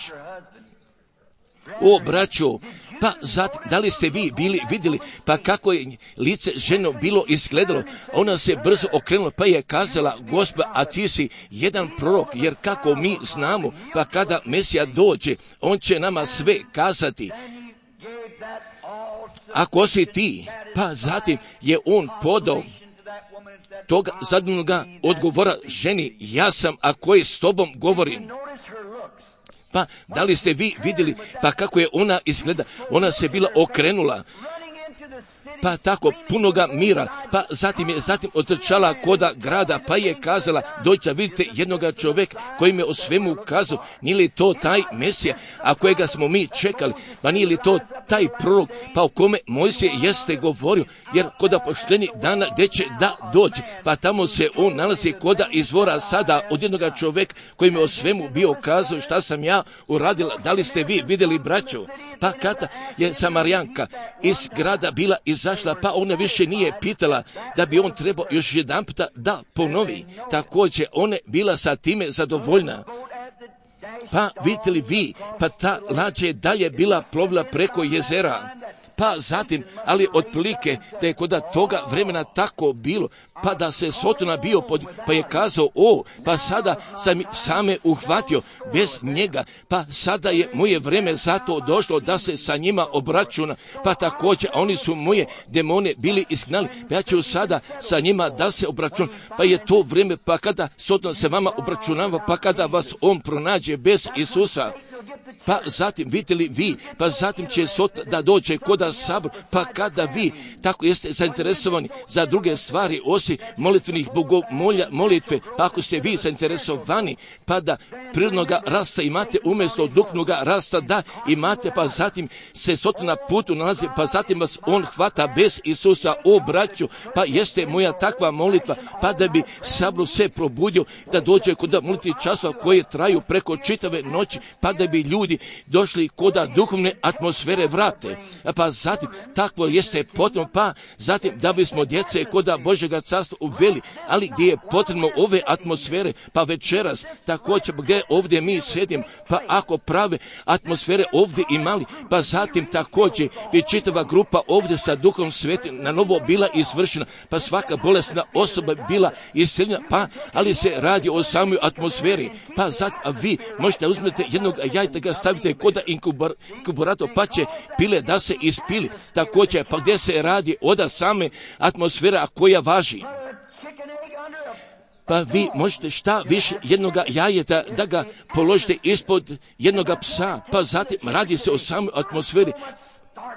O, braćo, pa zatim, da li ste vi bili vidjeli, pa kako je lice ženo bilo izgledalo, ona se brzo okrenula, pa je kazala, Gospod, a ti si jedan prorok, jer kako mi znamo, pa kada Mesija dođe, on će nama sve kazati. Ako si ti, pa zatim je on podao toga zadnjega odgovora ženi, ja sam, a koji s tobom govorim. Pa, da li ste vi vidjeli, pa kako je ona izgleda? Ona se bila okrenula, pa tako punoga mira, pa zatim je zatim otrčala koda grada, pa je kazala, dođite vidite jednoga čovjeka koji me o svemu kazao, nije li to taj Mesija, a kojega smo mi čekali, pa nije li to taj prorok, pa o kome Mojsije jeste govorio, jer koda poštenji dana gdje će da dođe, pa tamo se on nalazi koda izvora sada od jednoga čovjeka koji me o svemu bio kazao šta sam ja uradila. Da li ste vi vidjeli, braćo? Pa kada je Samarijanka iz grada bila izašla, pa ona više nije pitala da bi on trebao još jedan puta da ponovi. Također ona bila sa time zadovoljna. Pa vidite li vi, pa ta lađa je dalje bila plovila preko jezera. Pa zatim, ali otprilike da je kod toga vremena tako bilo, pa da se Sotona bio pod, pa je kazao, o, pa sada sam same uhvatio bez njega, pa sada je moje vreme zato došlo da se sa njima obračuna, pa također oni su moje demone bili izgnali, pa ja ću sada sa njima da se obračuna, pa je to vrijeme, pa kada Soton se vama obračunava, pa kada vas on pronađe bez Isusa, pa zatim, vidite li vi, pa zatim će Soton da dođe koda sabor, pa kada vi tako jeste zainteresovani za druge stvari osim molitvenih bogomolja, molitve, pa ako ste vi zainteresovani, pa da prirodnoga rasta imate umjesto duhovnoga rasta da imate, pa zatim se Soton na putu nalazi, pa zatim vas on hvata bez Isusa, o braću, pa jeste moja takva molitva, pa da bi sabor se probudio, da dođe kod molitvi časova koje traju preko čitave noći, pa da bi ljudi došli koda duhovne atmosfere vrate, pa zatim takvo jeste potrebno, pa zatim da bismo djece koda Božjega carstva uveli, ali gdje je potrebno ove atmosfere, pa večeras također gdje ovdje mi sjedim, pa ako prave atmosfere ovdje imali, pa zatim također bi čitava grupa ovdje sa Duhom Svetim na novo bila izvršena, pa svaka bolesna osoba bila isceljena, pa ali se radi o samoj atmosferi, pa zatim a vi možete uzmete jednog jajta, ga stavite koda inkuburator, pa će pile da se ispili, također pa gdje se radi oda same atmosfera koja važi. Pa vi možete šta više jednoga jajeta da ga položite ispod jednoga psa, pa zatim radi se o samoj atmosferi,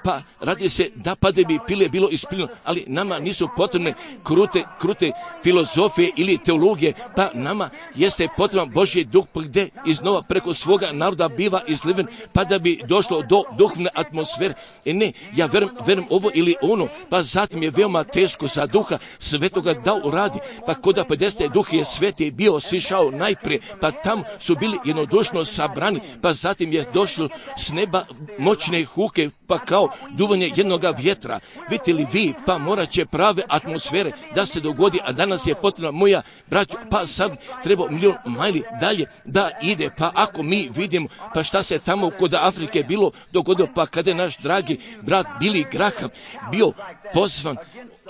pa radi se da pa da bi pile bilo ispiljeno, ali nama nisu potrebne krute, krute filozofije ili teologije, pa nama jeste potreban Božji duh gdje iznova preko svoga naroda biva izliven, pa da bi došlo do duhovne atmosfere. E ne, ja verujem, verujem ovo ili ono, pa zatim je veoma teško za Duha Svetoga da uradi, pa koda pedeset Duh je Sveti bio sišao najprije, pa tam su bili jednodušno sabrani, pa zatim je došlo s neba moćne huke, pa kao duvanje jednoga vjetra. Vidite li vi, pa morat će prave atmosfere da se dogodi, a danas je potrebna moja braća, pa sad treba milion majli dalje da ide, pa ako mi vidimo, pa šta se tamo kod Afrike bilo dogodilo, pa kada je naš dragi brat Billy Graham bio pozvan,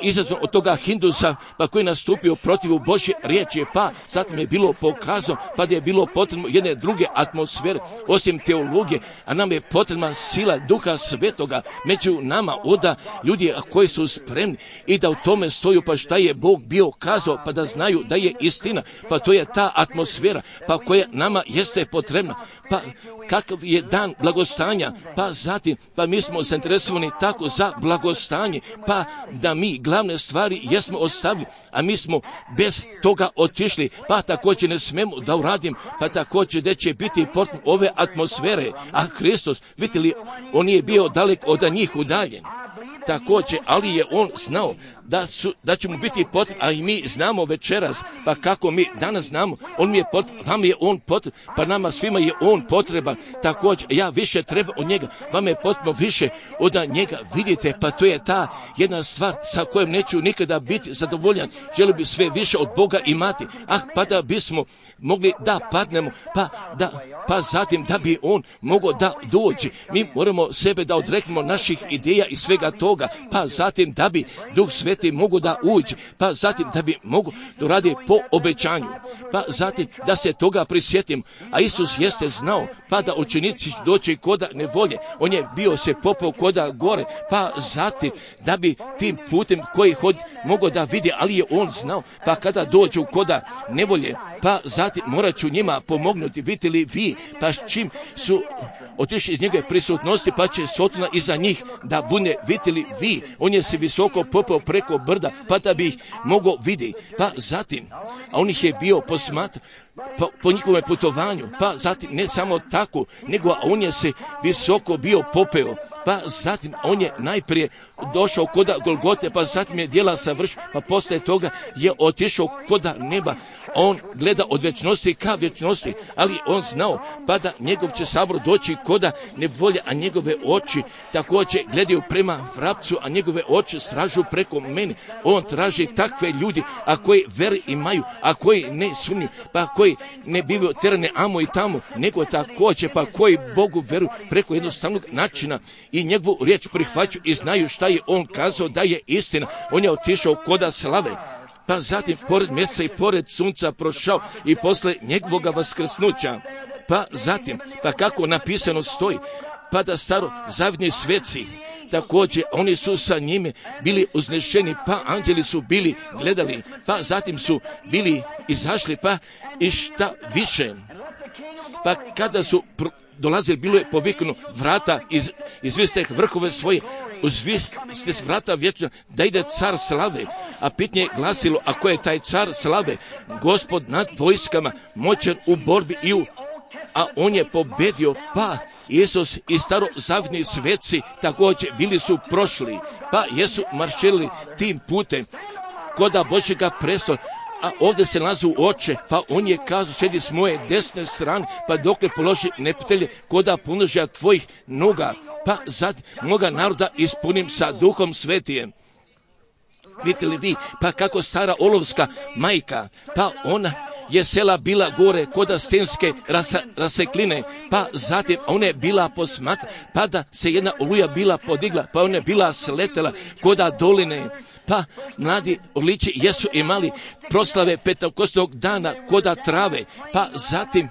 izazvan od toga Hindusa, pa koji je nastupio protiv Božje riječi, pa zatim je bilo pokazano, pa da je bilo potrebno jedne druge atmosfere, osim teologije, a nam je potrebna sila Duha Svetoga među nama, oda ljudi koji su spremni i da u tome stoju, pa šta je Bog bio kazao, pa da znaju da je istina, pa to je ta atmosfera, pa koja nama jeste potrebna, pa kakav je dan blagostanja, pa zatim, pa mi smo zainteresovani tako za blagostanje, pa da mi glavne stvari jesmo ostavili, a mi smo bez toga otišli, pa također ne smemo da uradim, pa također da će biti potrebno ove atmosfere, a Hristos, vidite li, on je bio dalek od njih udaljen. Također, ali je on znao da, su, da će mu biti potreban, a i mi znamo večeras, pa kako mi danas znamo, on mi je potreban, vam je on potreban, pa nama svima je on potreban, također, ja više treba od njega, vam je potrebno više od njega, vidite, pa to je ta jedna stvar sa kojom neću nikada biti zadovoljan, želio bi sve više od Boga imati, ah, pa da bismo mogli da padnemo, pa da, pa zatim da bi on mogao da dođe, mi moramo sebe da odreknemo naših ideja i svega toga, toga, pa zatim da bi Duh Sveti mogu da uđe, pa zatim da bi mogu da radi po obećanju, pa zatim da se toga prisjetim. A Isus jeste znao, pa da učenici doći koda nevolje, on je bio se popao koda gore, pa zatim da bi tim putem koji hod mogo da vidi, ali je on znao, pa kada dođu koda nevolje, pa zatim morat ću njima pomognuti. Vidite li vi, pa s čim su otišli iz njegove prisutnosti, pa će Sotona iza njih da bude. Vidite li vi, on je se visoko popao preko brda, pa da bi ih mogo vidi, pa zatim, a on ih je bio posmatran po, po njihovom putovanju, pa zatim ne samo tako, nego on je se visoko bio popeo, pa zatim on je najprije došao koda Golgote, pa zatim je djela savršio, pa posle toga je otišao koda neba. On gleda od vječnosti ka vječnosti, ali on znao pa da njegov će sabor doći koda nevolje, a njegove oči također gledaju prema vrapcu, a njegove oči stražu preko mene. On traži takve ljudi, a koji veri imaju, a koji ne sumnju, pa koji ne bivaju terane amo i tamo, nego također pa koji Bogu veruju preko jednostavnog načina i njegovu riječ prihvaćaju i znaju šta je on kazao da je istina. On je otišao koda slave, pa zatim pored mjeseca i pored sunca prošao i posle njegovoga vaskrsnuća, pa zatim, pa kako napisano stoji, pa da staro zavidni sveci, također oni su sa njime bili uznešeni, pa anđeli su bili gledali, pa zatim su bili izašli, pa i šta više, pa kada su pr- dolazili, bilo je poviknuo vrata, iz, izviste vrhove svoje, uzviste s vrata vječno, da ide car slave, a pitanje je glasilo, a ko je taj car slave? Gospod nad vojskama, moćan u borbi i u, a on je pobedio, pa Isus i starozavidni sveci također bili su prošli, pa jesu marširili tim putem koda Božjega prestola. A ovdje se nalazi u oče, pa on je kazao, sjedi s moje desne strane, pa dokle položi nepitelje koda punožja tvojih noga, pa zad mnoga naroda ispunim sa Duhom Svetijem. Vidite li vi, pa kako stara olovska majka, pa ona je sela bila gore koda stenske rasa, rasekline, pa zatim ona je bila posmatra, pa da se jedna oluja bila podigla, pa ona je bila sletela koda doline, pa mladi orlići jesu imali proslave petakostnog dana koda trave, pa zatim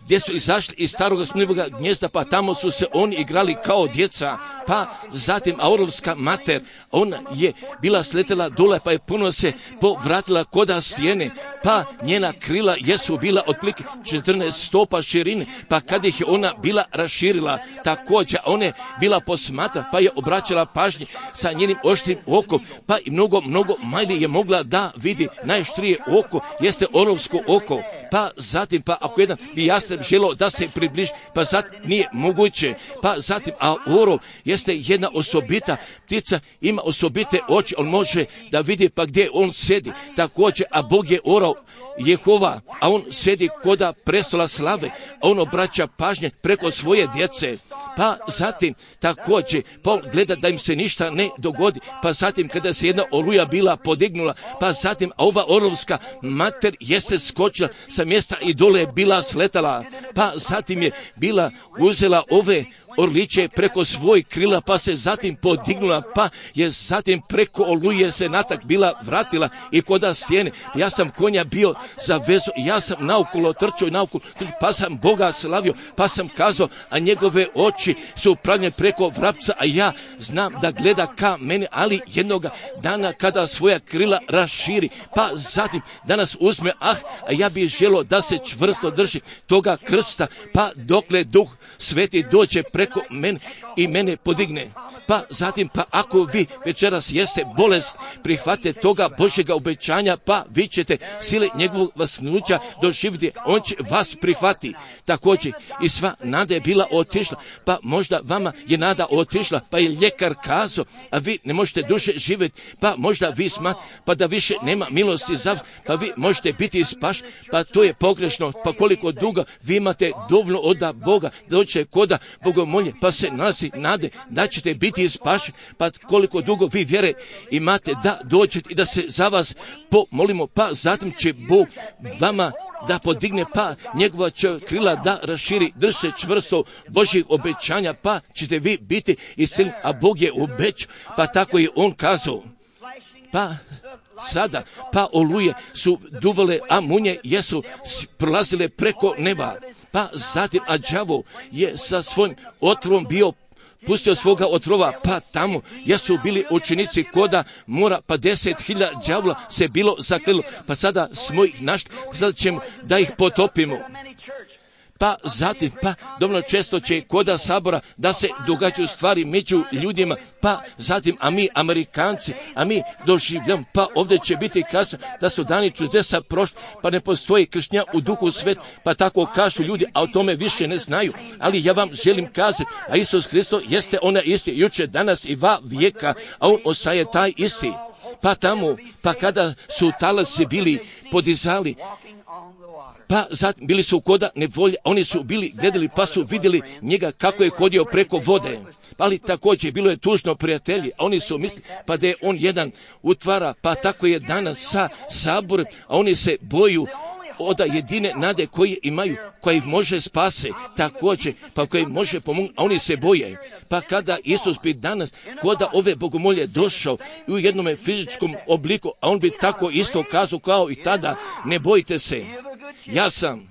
gdje su izašli iz staroga sumnjivoga gnjezda, pa tamo su se oni igrali kao djeca, pa zatim Aurovska mater, ona je bila sletela dole, pa je puno se povratila koda sjene, pa njena krila jesu bila otprilike četrnaest stopa širine, pa kad ih je ona bila raširila, također ona je bila posmatra, pa je obraćala pažnje sa njenim oštrim okom, pa i mnogo, mnogo manje je mogla da vidi. Najštrije oko jeste orovsko oko, pa zatim, pa ako jedan bi jasno želo da se približi, pa zatim nije moguće, pa zatim, a orov jeste jedna osobita ptica, ima osobite oči, on može da vidi pa gdje on sedi, također, a Bog je orov Jehova, a on sedi koda prestola slave, a on obraća pažnje preko svoje djece, pa zatim također, pa on gleda da im se ništa ne dogodi, pa zatim kada se jedna oluja bila podignula, pa zatim, a ova orovska mater jeste skočila sa mjesta i dole je bila sletala, pa zatim je bila uzela ove orliće preko svoj krila, pa se zatim podignula, pa je zatim preko oluje se natak bila vratila i koda sjene. Ja sam konja bio za vezu, ja sam naokolo trčao i naokolo trčao, pa sam Boga slavio, pa sam kazao, a njegove oči su upravljene preko vrapca, a ja znam da gleda ka mene, ali jednoga dana kada svoja krila raširi, pa zatim danas uzme, ah, a ja bih želio da se čvrsto drži toga krsta, pa dokle Duh Sveti dođe preko mene i mene podigne. Pa zatim, pa ako vi večeras jeste bolest, prihvate toga Božjega obećanja, pa vi ćete sile njegovog vasknuća doživjeti, on će vas prihvati. Također i sva nada je bila otišla, pa možda vama je nada otišla, pa je ljekar kazao, a vi ne možete duže živjeti, pa možda vi smatrate, pa da više nema milosti za vas, pa vi možete biti spaš, pa to je pogrešno, pa koliko dugo vi imate dovoljno od Boga, da dođete koda Bogom bogomolje, pa se nalazi nade da ćete biti spašeni, pa koliko dugo vi vjere imate da dođete i da se za vas pomolimo, pa zatim će Bog vama da podigne, pa njegova će krila da raširi, drže čvrsto Božjih obećanja, pa ćete vi biti isceljeni, a Bog je obećao, pa tako je on kazao. Pa sada, pa oluje su duvale, a munje jesu prolazile preko neba. Pa zatim, a đavo je sa svojim otrovom bio pustio svoga otrova, pa tamo jesu bili učenici koda mora, pa deset hiljada đavola se bilo zaklelo, pa sada smo ih našli, pa sada ćemo da ih potopimo. Pa zatim, pa dovoljno često će koda sabora da se događaju stvari među ljudima, pa zatim, a mi Amerikanci, a mi doživljamo, pa ovdje će biti kasno da su dani čudesa prošli, pa ne postoji kršnja u duhu svet, pa tako kažu ljudi, a o tome više ne znaju. Ali ja vam želim kazati, a Isus Hristos jeste ona isti, juče, danas i va vijeka, a on ostaje taj isti. Pa tamo, pa kada su talasi bili podizali, pa zatim bili su koda nevolje, oni su bili gledali pa su vidjeli njega kako je hodio preko vode. Ali također bilo je tužno, prijatelji, a oni su mislili pa da je on jedan utvara, pa tako je danas sa saborom, a oni se boju od jedine nade koje imaju, koja ih može spase, također, pa koji može pomoći, a oni se boje. Pa kada Isus bi danas koda ove bogomolje došao i u jednom fizičkom obliku, a on bi tako isto kazao kao i tada, ne bojte se, ja sam.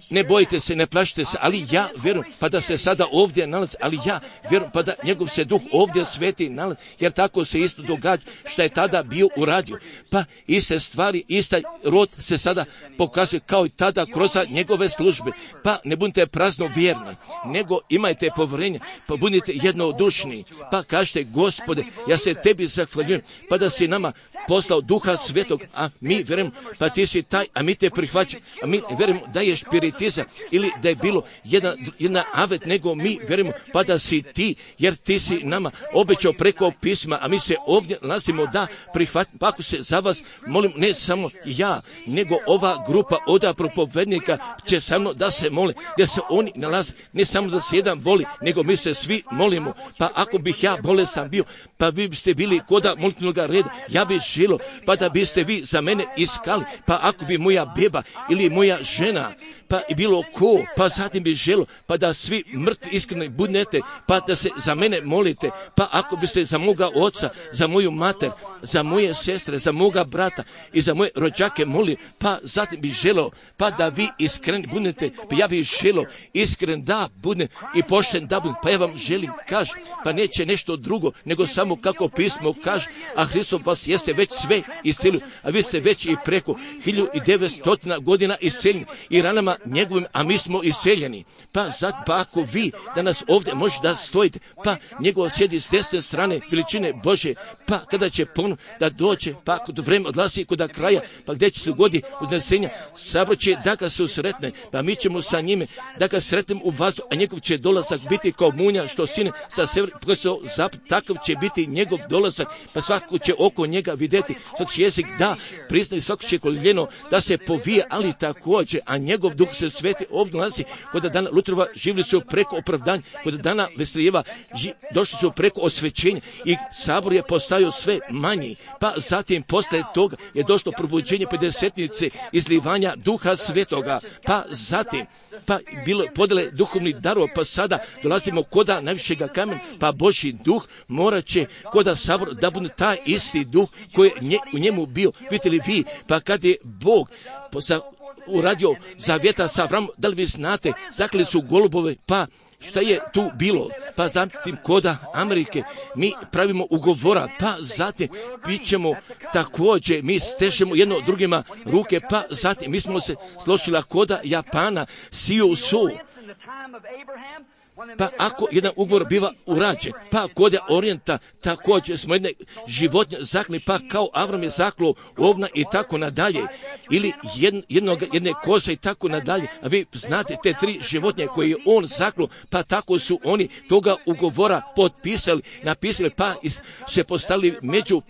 Ne bojite se, ne plašite se, ali ja vjerujem pa da se sada ovdje nalazi, ali ja vjerujem pa da njegov se duh ovdje sveti nalazi, jer tako se isto događa što je tada bio uradio. Pa iste stvari, ista rod se sada pokazuje kao i tada kroz njegove službe. Pa ne budite prazno vjerni, nego imajte povjerenje, pa budite jednodušni. Pa kažete, Gospode, ja se tebi zahvaljujem, pa da si nama poslao duha svetog, a mi vjerujemo, pa ti si taj, a mi te prihvaćamo, a mi vjerujemo da je spiritizam ili da je bilo jedna, jedna avet, nego mi vjerujemo pa da si ti, jer ti si nama obećao preko pisma, a mi se ovdje nalazimo da prihvatimo. Pa ako se za vas molim, ne samo ja, nego ova grupa od propovednika će samo da se mole, gdje se oni nalaze, ne samo da se jedan boli, nego mi se svi molimo. Pa ako bih ja bolestan bio, pa vi biste bili koda molitvenog reda, ja bih žilo, pa da biste vi za mene iskali, pa ako bi moja beba ili moja žena, pa i bilo ko, pa zatim bi želo, pa da svi mrtvi iskreni budete, pa da se za mene molite, pa ako biste za moga oca, za moju mater, za moje sestre, za moga brata i za moje rođake moli, pa zatim bi želo, pa da vi iskreni budete, pa ja bih želo iskren da budem i pošten da budem, pa ja vam želim kaž, pa neće nešto drugo, nego samo kako pismo kaže, a Hristos vas jeste već sve iscelio, a vi ste već i preko hiljadu devetsto godina isceljeni i ranama njegovim, a mi smo iseljeni. Pa zat, pa ako vi danas ovdje možete da stojite, pa njegov sjedi s desne strane veličine Bože, pa kada će ponovno da dođe, pa kod vreme odlazi kod kraja, pa gdje će se godi uznesenja, sabor će da ga se usretne, pa mi ćemo sa njime da ga sretnemo u vazdu, a njegov će dolazak biti kao munja što sine sa sever, zapad, takav će biti njegov dolazak, pa svako će oko njega vidjeti, svaki će jezik da prizna i svako će koljeno da se povije, ali također, a njegov duh se sveti ovdje nalazi, kod dana Lutrova živjeli su preko opravdanja, kod dana Veslijeva ži, došli su preko osvećenja i sabor je postavio sve manji, pa zatim posle toga je došlo probuđenje pedesetnice izlivanja duha svetoga, pa zatim pa bilo podjele duhovnih darova, pa sada dolazimo koda najvišega kamena, pa Božji duh morat će koda sabor da bude taj isti duh koji je nje, u njemu bio. Vidite li vi, pa kad je Bog sa uradio zavjeta sa Avramom, da li vi znate, zakli su golubove, pa šta je tu bilo, pa zatim koda Amerike mi pravimo ugovora, pa zatim bit ćemo također, mi stežemo jedno drugima ruke, pa zatim mi smo se složili koda Japana, Siju Su. Pa ako jedan ugovor biva urađen, pa kod Orijenta također smo jedne životinje zakli, pa kao Avram je zaklo ovna i tako nadalje, ili jednog, jedne koze i tako nadalje, a vi znate te tri životinje koje je on zaklo, pa tako su oni toga ugovora potpisali, napisali, pa se postavili među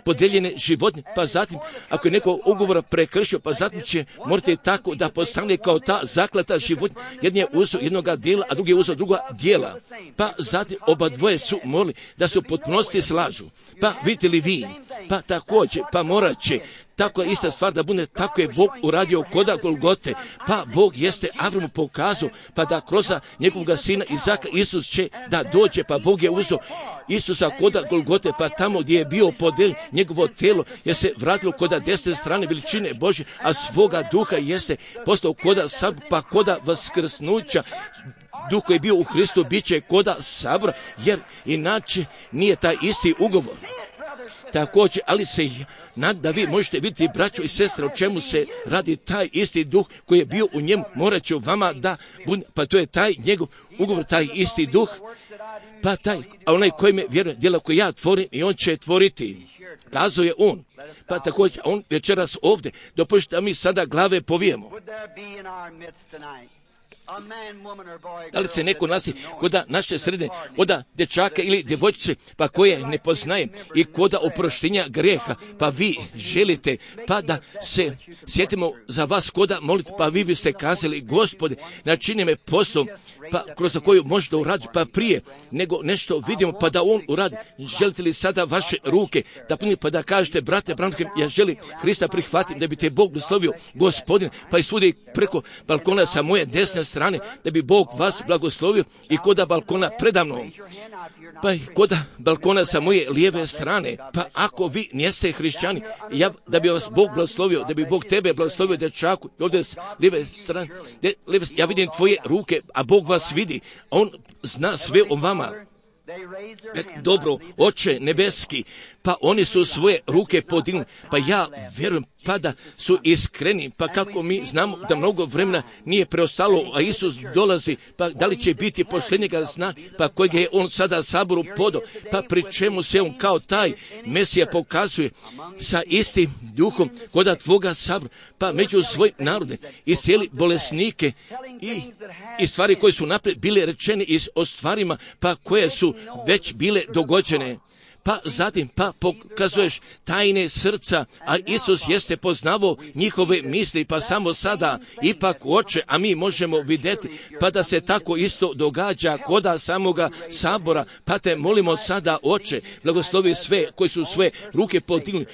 podeljene životinje, pa zatim ako je neko ugovora prekršio, pa zatim će morate tako da postane kao ta zaklata životinja, jedan je uzeo jednoga dijela, a drugi je uzeo druga, njegova djela. Pa zatim oba dvoje su molili da se u potpunosti slažu. Pa vidite li vi, pa također, pa morat će, tako je ista stvar da bude, tako je Bog uradio koda Golgote, pa Bog jeste Avramu pokazao, pa da kroz njegovog sina Izaka Isus će da dođe, pa Bog je uzeo Isusa koda Golgote, pa tamo gdje je bio podeljen njegovo tijelo, je se vratilo koda desne strane veličine Božje, a svoga duha jeste postao koda sam, pa koda vaskrsnuća. Duh koji je bio u Hristu bit će koda sabora, jer inače nije taj isti ugovor. Također, ali se nadam da vi možete vidjeti, braćo i sestre, o čemu se radi. Taj isti duh koji je bio u njemu, morat će vama da bude, pa to je taj njegov ugovor, taj isti duh, pa taj, a onaj koji me vjeruje, djela koje ja tvorim i on će tvoriti. Kazao je on, pa također, on večeras ovdje, dopustite da mi sada glave povijemo. Da li se neko nasi koda naše sredine, koda dječaka ili djevojčice, pa koje ne poznaje i koda oproštenja greha, pa vi želite, pa da se sjetimo za vas koda molite, pa vi biste kazali, Gospode, načini me poslom, pa kroz koju možda uradi, pa prije nego nešto vidimo, pa da on uradi. Želite li sada vaše ruke da puni, pa da kažete, brate, Branham, ja želim Hrista prihvatiti, da bi te Bog blagoslovio, Gospodin, pa i svudi preko balkona sa moje desne strane, da bi Bog vas blagoslovio i koda balkona predamnom, pa i koda balkona sa moje lijeve strane, pa ako vi niste hrišćani, ja, da bi vas Bog blagoslovio, da bi Bog tebe blagoslovio, dječaku, ovdje s lijeve strane, de, lijeve, ja vidim tvoje ruke, a Bog vas vidi, on zna sve o vama. Dobro, Oče nebeski, pa oni su svoje ruke podignuli, pa ja vjerujem, pa da su iskreni, pa kako mi znamo da mnogo vremena nije preostalo, a Isus dolazi, pa da li će biti posljednjega zna, pa kojeg je on sada saboru podao, pa pri čemu se on kao taj Mesija pokazuje sa istim duhom koda tvoga sabora, pa među svoj narode i cijeli bolesnike i, i stvari koje su naprijed bile rečene i o stvarima, pa koje su već bile dogođene. Pa zatim, pa pokazuješ tajne srca, a Isus jeste poznavao njihove misli, pa samo sada, ipak Oče, a mi možemo vidjeti, pa da se tako isto događa koda samoga sabora, pa te molimo sada, Oče, blagoslovi sve koji su svoje ruke podignuli,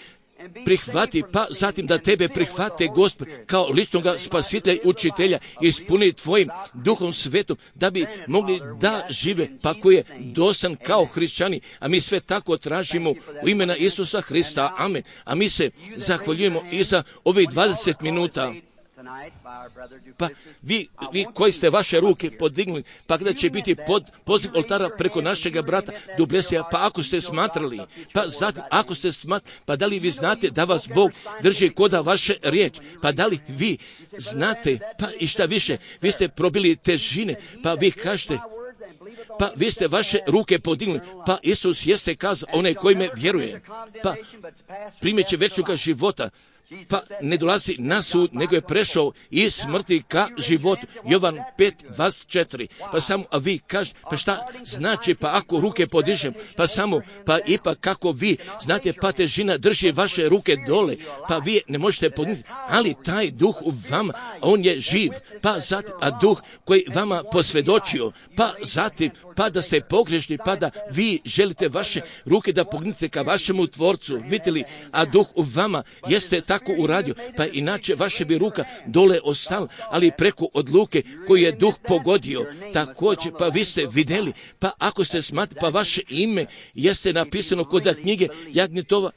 prihvati, pa zatim da tebe prihvate, Gospod, kao ličnoga spasitelja, učitelja, ispuni tvojim duhom svetom, da bi mogli da žive, pa koji je dosan kao hrišćani, a mi sve tako tražimo u imena Isusa Hrista, amen. A mi se zahvaljujemo i za ovih dvadeset minuta. Pa vi, vi koji ste vaše ruke podignuli, pa kada će biti pod poziv oltara preko našega brata Dublesija, pa ako ste smatrali, pa zatim ako ste smatrali, pa da li vi znate da vas Bog drži koda vaše riječ, pa da li vi znate, pa i šta više, vi ste probili težine, pa vi kažete, pa vi ste vaše ruke podignuli, pa Isus jeste kazao, onaj koji me vjeruje, pa primjet će večnoga života, pa ne dolazi na sud, nego je prešao iz smrti ka životu. Jovan pet dvadeset četiri. Pa samo, a vi kažete, pa šta znači, pa ako ruke podižem, pa samo, pa ipak kako vi znate, pa težina drži vaše ruke dole, pa vi ne možete podignuti, ali taj duh u vama, on je živ, pa zatim, a duh koji vama posvjedočio, pa zatim, pa da ste pogrešni, pa da vi želite vaše ruke da podignete ka vašemu tvorcu, vidite li, a duh u vama jeste tako uradio, pa inače vaše bi ruka dole ostala, ali preko odluke koju je duh pogodio, također, pa vi ste vidjeli, pa ako ste smatrali, pa vaše ime jeste napisano kod knjige Jagnjetova,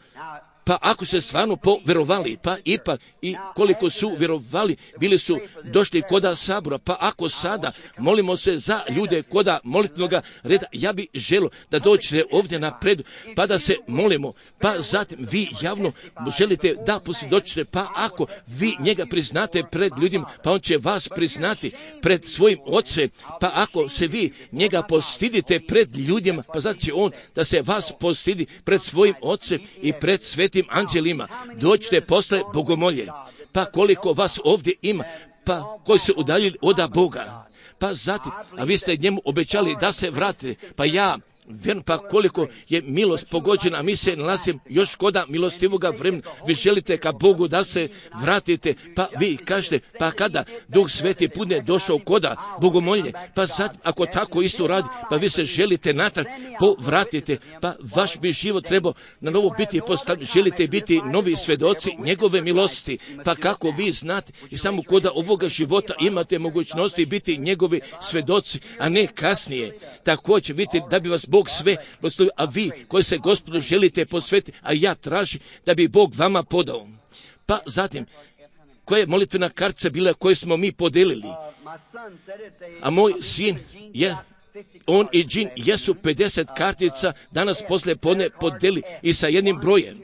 pa ako ste stvarno povjerovali, pa ipak i koliko su vjerovali, bili su došli koda sabora, pa ako sada molimo se za ljude koda molitvenoga reda, ja bi želio da dođete ovdje napred, pa da se molimo, pa zatim vi javno želite da posvjedočite, pa ako vi njega priznate pred ljudima, pa on će vas priznati pred svojim ocem, pa ako se vi njega postidite pred ljudima, pa znači on da se vas postidi pred svojim ocem i pred svetim anđelima, dođite posle bogomolje, pa koliko vas ovdje ima, pa koji se udaljili od Boga, pa zatim, a vi ste njemu obećali da se vratite, pa ja Vjerno, pa koliko je milost pogođena, a mi se nalazimo još koda milostivoga vremena. Vi želite ka Bogu da se vratite, pa vi kažete, pa kada Duh Sveti bude došao koda bogomolje, pa sad ako tako isto radi, pa vi se želite natrag povratite, pa vaš bi život trebao na novo biti postavljen. Želite biti novi svedoci njegove milosti, pa kako vi znate i samo koda ovoga života imate mogućnosti biti njegovi svedoci, a ne kasnije. Također vidite da bi vas Bog sve proslavio, a vi koji se Gospodu želite posvetiti, a ja tražim da bi Bog vama podao. Pa zatim, koja je molitvena kartica bila koju smo mi podelili? A moj sin je, on i Džin jesu pedeset kartica danas poslije podne podeli i sa jednim brojem.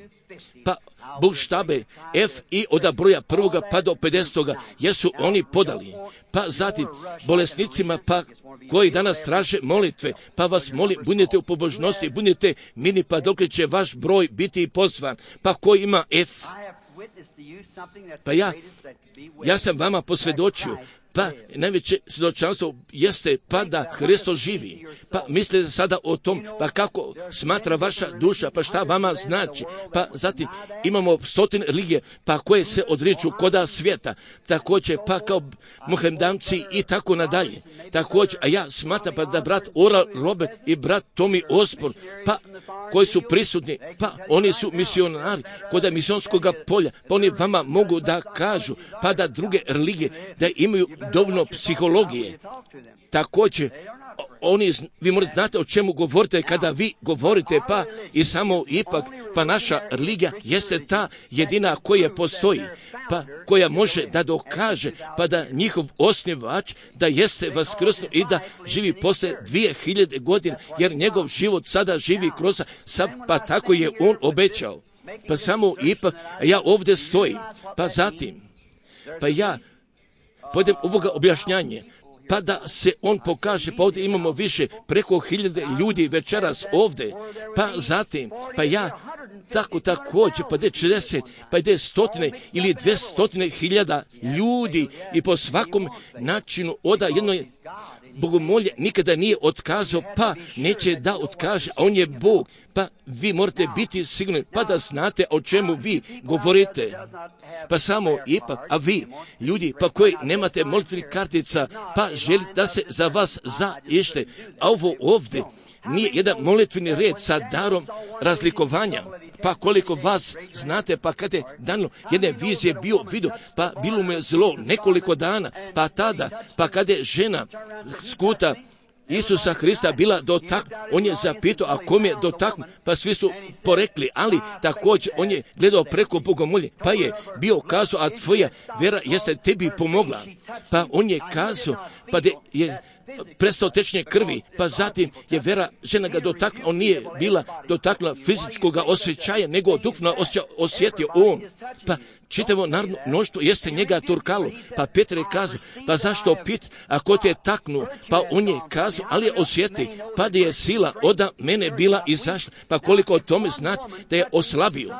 Pa buštabe F i od broja prvoga pa do pedesetoga jesu oni podali. Pa zatim bolesnicima pa koji danas traže molitve, pa vas molim, budite u pobožnosti, budite mirni, pa dok će vaš broj biti pozvan. Pa ko ima F? Pa ja, ja sam vama posvjedočio, pa najveće svjedočanstvo jeste pa da Hristos živi. Pa mislite sada o tom, pa kako smatra vaša duša, pa šta vama znači. Pa zatim imamo stotine religije, pa koje se odriču koda svijeta, također pa kao Mohamedamci i tako nadalje. Također, a ja smatram pa da brat Oral Robert i brat Tommy Osborne, pa koji su prisutni, pa oni su misionari koda misionskog polja, pa oni vama mogu da kažu, pa da druge religije, da imaju dovoljno psihologije. Također, oni, vi morate znate o čemu govorite kada vi govorite, pa i samo ipak, pa naša religija jeste ta jedina koja postoji, pa koja može da dokaže, pa da njihov osnivač da jeste vaskrsnuo i da živi posle dvije hiljade godina, jer njegov život sada živi kroz, pa tako je on obećao. Pa samo ipak, ja ovdje stojim, pa zatim, pa ja pojdem ovoga objašnjanje, pa da se on pokaže, pa ovdje imamo više, preko hiljade ljudi večeras ovdje, pa zatim, pa ja tako također, pa de četrdeset, pa de stotine ili dvestotine hiljada ljudi i po svakom načinu oda jednoj bogomolje nikada nije otkazao, pa neće da otkaže, a on je Bog, pa vi morate biti sigurni, pa da znate o čemu vi govorite. Pa samo ipak, a vi, ljudi, pa koji nemate molitvenih kartica, pa želite da se za vas zaište, a ovo ovdje nije jedan molitveni red sa darom razlikovanja. Pa koliko vas znate, pa kad je dano jedne vizije bio vidio, pa bilo mu je zlo nekoliko dana, pa tada, pa kad je žena skuta Isusa Hrista bila dotaknuta, on je zapitao, a kom je dotaknut, pa svi su porekli, ali također on je gledao preko bogomolje, pa je bio kazao, a tvoja vera jeste tebi pomogla. Pa on je kazao, pa de je prestao tečnje krvi, pa zatim je vera žena ga dotaknula, on nije bila dotaknula fizičkog osjećaja, nego duhovno osjetio on. Pa čitavo narodno mnoštvo jeste njega turkalo, pa Petar je kazao, pa zašto pit, ako te taknu, pa on je kazao, ali je osjeti, pa da je sila oda mene bila izašla, pa koliko o tome znati da je oslabio.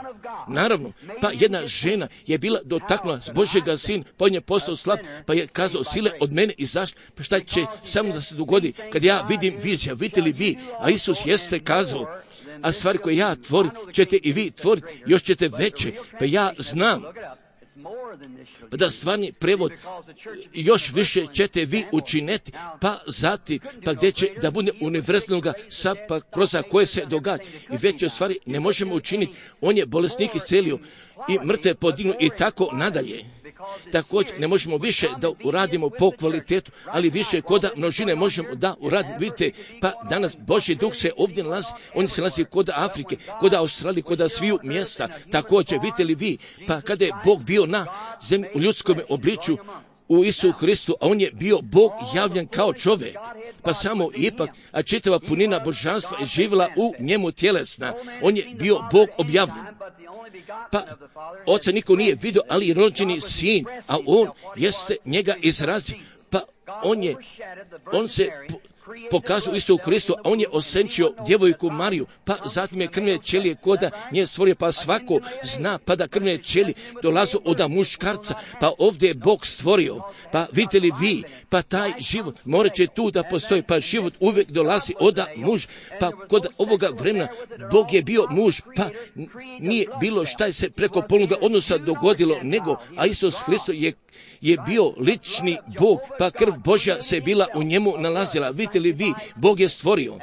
Naravno, pa jedna žena je bila dotaknula s Božjega sin, pa on je postao slab, pa je kazao, sile od mene izašla, pa šta će samo da se dogodi, kad ja vidim vizija, vidite li vi, a Isus jeste kazao, a stvari koje ja tvorim, ćete i vi tvoriti, još ćete veće, pa ja znam, pa da stvarni prevod još više ćete vi učiniti, pa zatim, pa gdje će da bude univerzalnoga sad, pa kroz koje se događa. I veće stvari ne možemo učiniti, on je bolesnik iscelio i mrtve podignuo i tako nadalje. Također ne možemo više da uradimo po kvalitetu, ali više koda množine možemo da uradimo. Vidite, pa danas Božji duh se ovdje nalazi, on se nalazi koda Afrike, koda Australije, koda sviju mjesta. Također, vidite li vi, pa kada je Bog bio na zemlji u ljudskom obličju, u Isu Hristu, a on je bio Bog javljen kao čovjek, pa samo ipak, a čitava punina božanstva je živjela u njemu tjelesna, on je bio Bog objavljen. Pa oca niko nije vidio, ali i rođeni sin, a on jeste njega izrazio, pa on je, on se pokazao Isu Hristu, a on je osenčio djevojku Mariju, pa zatim je krvne ćelije koda nje stvorio, pa svako zna pa da krvne ćelije dolazu od muškarca, pa ovdje je Bog stvorio, pa vidite li vi, pa taj život morat će tu da postoji, pa život uvijek dolazi od muž, pa kod ovoga vremena Bog je bio muž, pa nije bilo šta se preko polnoga odnosa dogodilo, nego, a Isus Hristos je je bio lični Bog, pa krv Božja se bila u njemu nalazila. Vidite li vi, Bog je stvorio.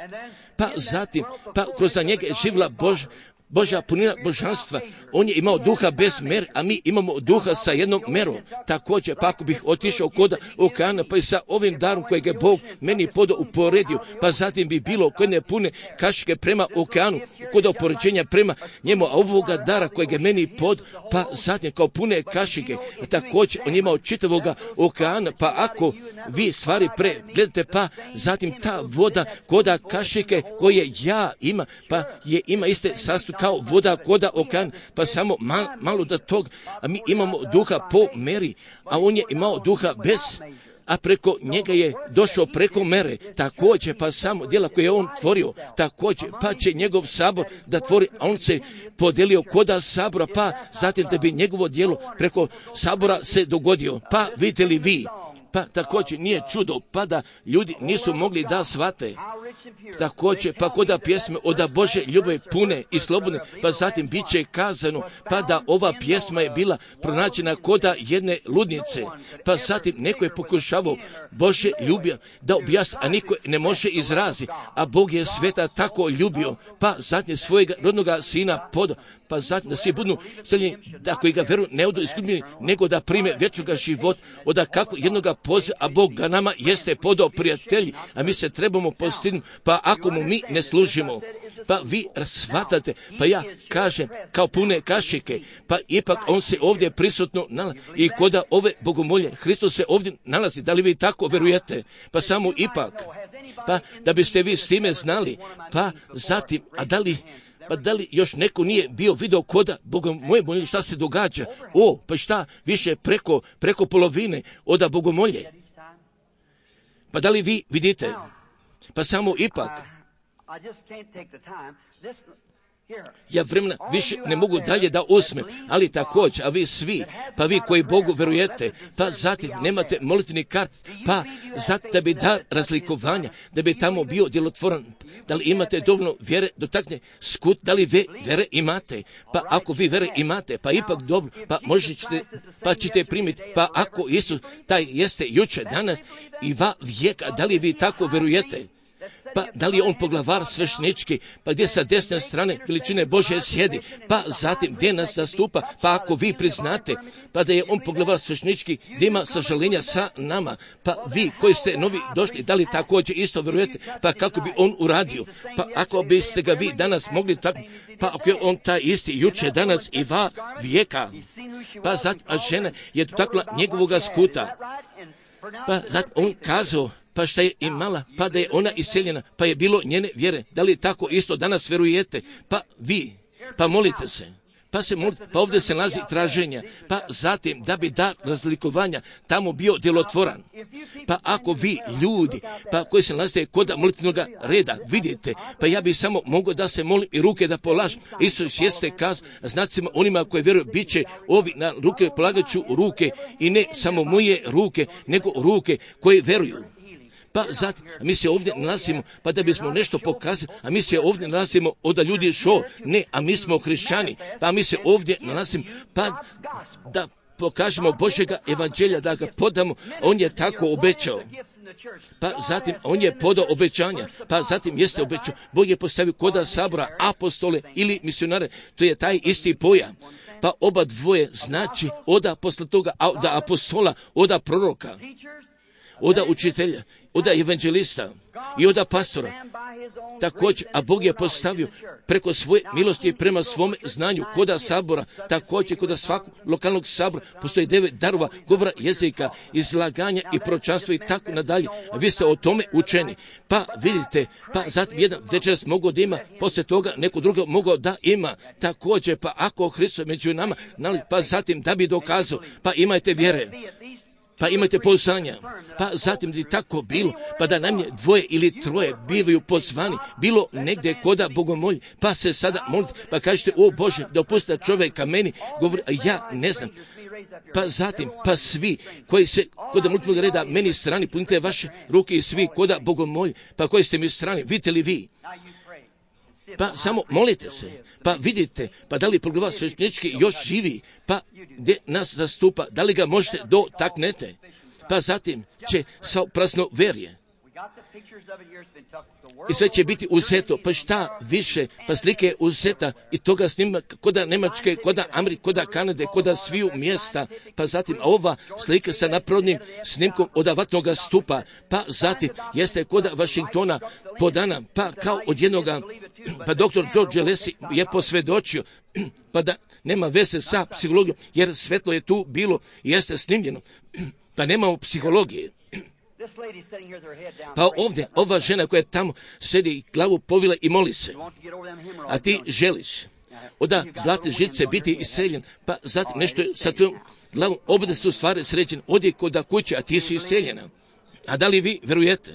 Pa zatim, pa kroz njega je živla Bož, Božja punina božanstva. On je imao duha bez mer, a mi imamo duha sa jednom merom. Također, pa ako bih otišao kod okeana, pa i sa ovim darom kojeg je Bog meni podao uporedio, pa zatim bi bilo koje ne pune kašike prema okeanu, kod opoređenja prema njemu, a ovoga dara kojeg je meni pod, pa zatim kao pune kašike, također on je imao čitavoga okeana, pa ako vi stvari pregledate, pa zatim ta voda koda kašike koje ja ima, pa je ima iste sastu kao voda koda okean, pa samo mal, malo da tog, a mi imamo duha po meri, a on je imao duha bez, a preko njega je došao preko mere, također pa samo djela koje je on tvorio, također pa će njegov sabor da tvori, a on se podelio koda sabora, pa zatim da bi njegovo djelo preko sabora se dogodio, pa vidite li vi, pa također nije čudo, pa da ljudi nisu mogli da shvate. Također, pa koda pjesme od Bože ljubavi pune i slobodne, pa zatim bit će kazano, pa da ova pjesma je bila pronađena koda jedne ludnice, pa zatim neko je pokušavao Bože ljubio da objasni, a niko ne može izrazi, a Bog je sveta tako ljubio, pa zatim svojega rodnoga sina podao, pa zatim da svi budu seljeni, da koji ga veruju ne odu izgubljeni, nego da prime vječnoga života, oda kako jednoga poziva, a Bog ga nama jeste podao prijatelji, a mi se trebamo postignuti, pa ako mu mi ne služimo, pa vi shvatate, pa ja kažem kao pune kašike, pa ipak on se ovdje prisutno nalazi i koda ove bogomolje, Hristos se ovdje nalazi, da li vi tako verujete, pa samo ipak, pa da biste vi s time znali, pa zatim, a da li pa da li još neko nije bio video koda bogomolje, molje, šta se događa? O, pa šta više preko, preko polovine oda bogomolje? Pa da li vi vidite? Pa samo ipak, ja vremena više ne mogu dalje da uzmem, ali također, a vi svi, pa vi koji Bogu verujete, pa zatim nemate molitveni kart, pa zatim da bi dar razlikovanja, da bi tamo bio djelotvoran, da li imate dovoljno vjere, dotakne skut, da li vi vjere imate, pa ako vi vjere imate, pa ipak dobro, pa možete, pa ćete primiti, pa ako Isus taj jeste jučer, danas i va vijeka, da li vi tako verujete? Pa da li je on poglavar sveštenički, pa gdje sa desne strane veličine Božje sjedi, pa zatim gdje nas zastupa, pa ako vi priznate, pa da je on poglavar sveštenički, gdje ima sažaljenja sa nama, pa vi koji ste novi došli, da li također isto verujete, pa kako bi on uradio, pa ako biste ga vi danas mogli tako, pa ako je on taj isti juče, danas i va vijeka, pa zatim, a žena je dotakla njegovoga skuta, pa zatim on kazao, pa šta je imala, pa da je ona iseljena, pa je bilo njene vjere. Da li tako isto danas verujete? Pa vi, pa molite se, pa se molite, pa ovdje se nalazi traženja, pa zatim da bi dar razlikovanja tamo bio djelotvoran. Pa ako vi ljudi, pa koji se nalaze kod molitvenog reda, vidite, pa ja bih samo mogao da se molim i ruke da polažem. Isus jeste kazao, znacima onima koji vjeruju, bit će ovi na ruke, polagat ću ruke i ne samo moje ruke, nego ruke koje vjeruju. Pa zatim, a mi se ovdje nalazimo, pa da bismo nešto pokazali, a mi se ovdje nalazimo od da ljudi šo, ne, a mi smo hrišćani, pa mi se ovdje nalazimo, pa da pokažemo Božjega evanđelja, da ga podamo, on je tako obećao. Pa zatim, on je podao obećanja, pa zatim jeste obećao, Bog je postavio koda sabora apostole ili misionare, to je taj isti pojam. Pa oba dvoje znači oda posle toga, oda apostola, oda proroka, oda učitelja, oda evanđelista i oda pastora. Također, a Bog je postavio preko svoje milosti prema svome znanju koda sabora, također koda svakog lokalnog sabora postoji devet darova govora jezika, izlaganja i proročanstva i tako nadalje. A vi ste o tome učeni. Pa vidite, pa zatim jedan večeras mogao da ima, poslije toga neko drugo mogao da ima. Također, pa ako Hristos među nama, pa zatim da bi dokazao, pa imajte vjere. pa imate pouzdanja, pa zatim bi tako bilo, pa da nam je dvoje ili troje bivaju pozvani, bilo negdje koda bogomolji, pa se sada molite, pa kažete, o Bože, dopusti čovjeka meni, govori, a ja ne znam. Pa zatim, pa svi koji se kod molitvenog reda meni strani, punite vaše ruke i svi koda bogomolji, pa koji ste mi strani, vidite li vi? Pa samo molite se, pa vidite, pa da li poglavar sveštenički još živi, pa gdje nas zastupa, da li ga možete dotaknete, pa zatim će sa prazno verje. I sve će biti uzeto, pa šta više, pa slike je uzeta i toga snima koda Nemačke, koda Amerike, koda Kanade, koda sviju mjesta, pa zatim a ova slika sa napravnim snimkom od avatnog stupa, pa zatim jeste koda Vašingtona podana, pa kao od jednoga, pa doktor George Lesi je posvjedočio, pa da nema veze sa psihologijom, jer svetlo je tu bilo i jeste snimljeno, pa nemamo psihologije. Pa ovdje, ova žena koja tamo sedi i glavu povila i moli se, a ti želiš od zlate žice biti iseljen, pa zatim nešto sa tvojom glavom, obje su stvari sređene, odi kod kuće, a ti si iseljena. A da li vi verujete?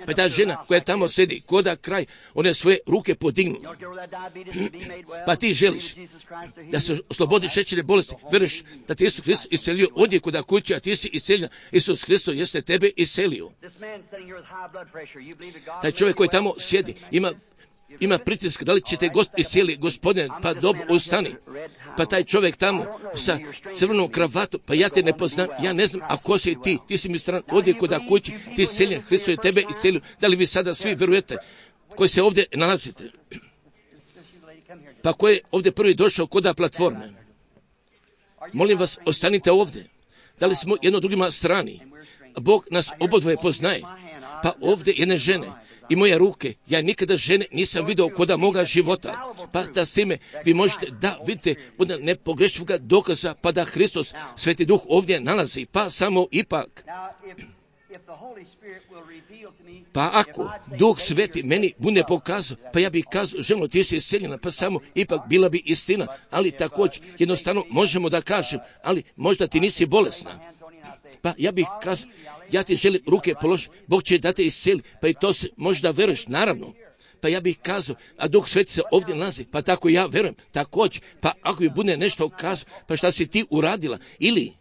Pa ta žena koja tamo sedi, koda kraj, one svoje ruke podignu. Pa ti želiš da se oslobodi šećerne bolesti, veruješ da ti Isus Hristos iselio, odi kod kuće, a ti si iseljena. Isus Hristos jeste tebe iselio. Taj čovjek koji tamo sjedi, ima ima pritisak, da li ćete gost iscijeli, gospodine, pa dobro, ustani. Pa taj čovjek tamo sa crvenom kravatom, pa ja te ne poznam, ja ne znam, a ko si ti, ti si mi stran, ovdje kod kući, ti iseljen, Hristos je tebe iselio. Da li vi sada svi verujete koji se ovdje nalazite? Pa ko je ovdje prvi došao koda platforme? Molim vas, ostanite ovdje. Da li smo jedno drugima strani? Bog nas obodvoje poznaje. Pa ovdje jedne žene i moje ruke, ja nikada žene nisam vidio koda moga života. Pa da s time vi možete da vidite od nepogrešivoga dokaza, pa da Hristos, Sveti Duh ovdje nalazi, pa samo ipak. Pa ako Duh Sveti meni bude pokazao, pa ja bih kazao, ženo, ti si iseljena, pa samo ipak bila bi istina, ali također jednostavno možemo da kažem, ali možda ti nisi bolesna. Pa ja bih kazao, ja ti želim ruke položiti, Bog će da te iscijeli, pa i to se možda veruješ, naravno. Pa ja bih kazao, a Duh Sveti se ovdje nalazi, pa tako ja verujem, također, pa ako mi bude nešto kazao, pa šta si ti uradila, ili,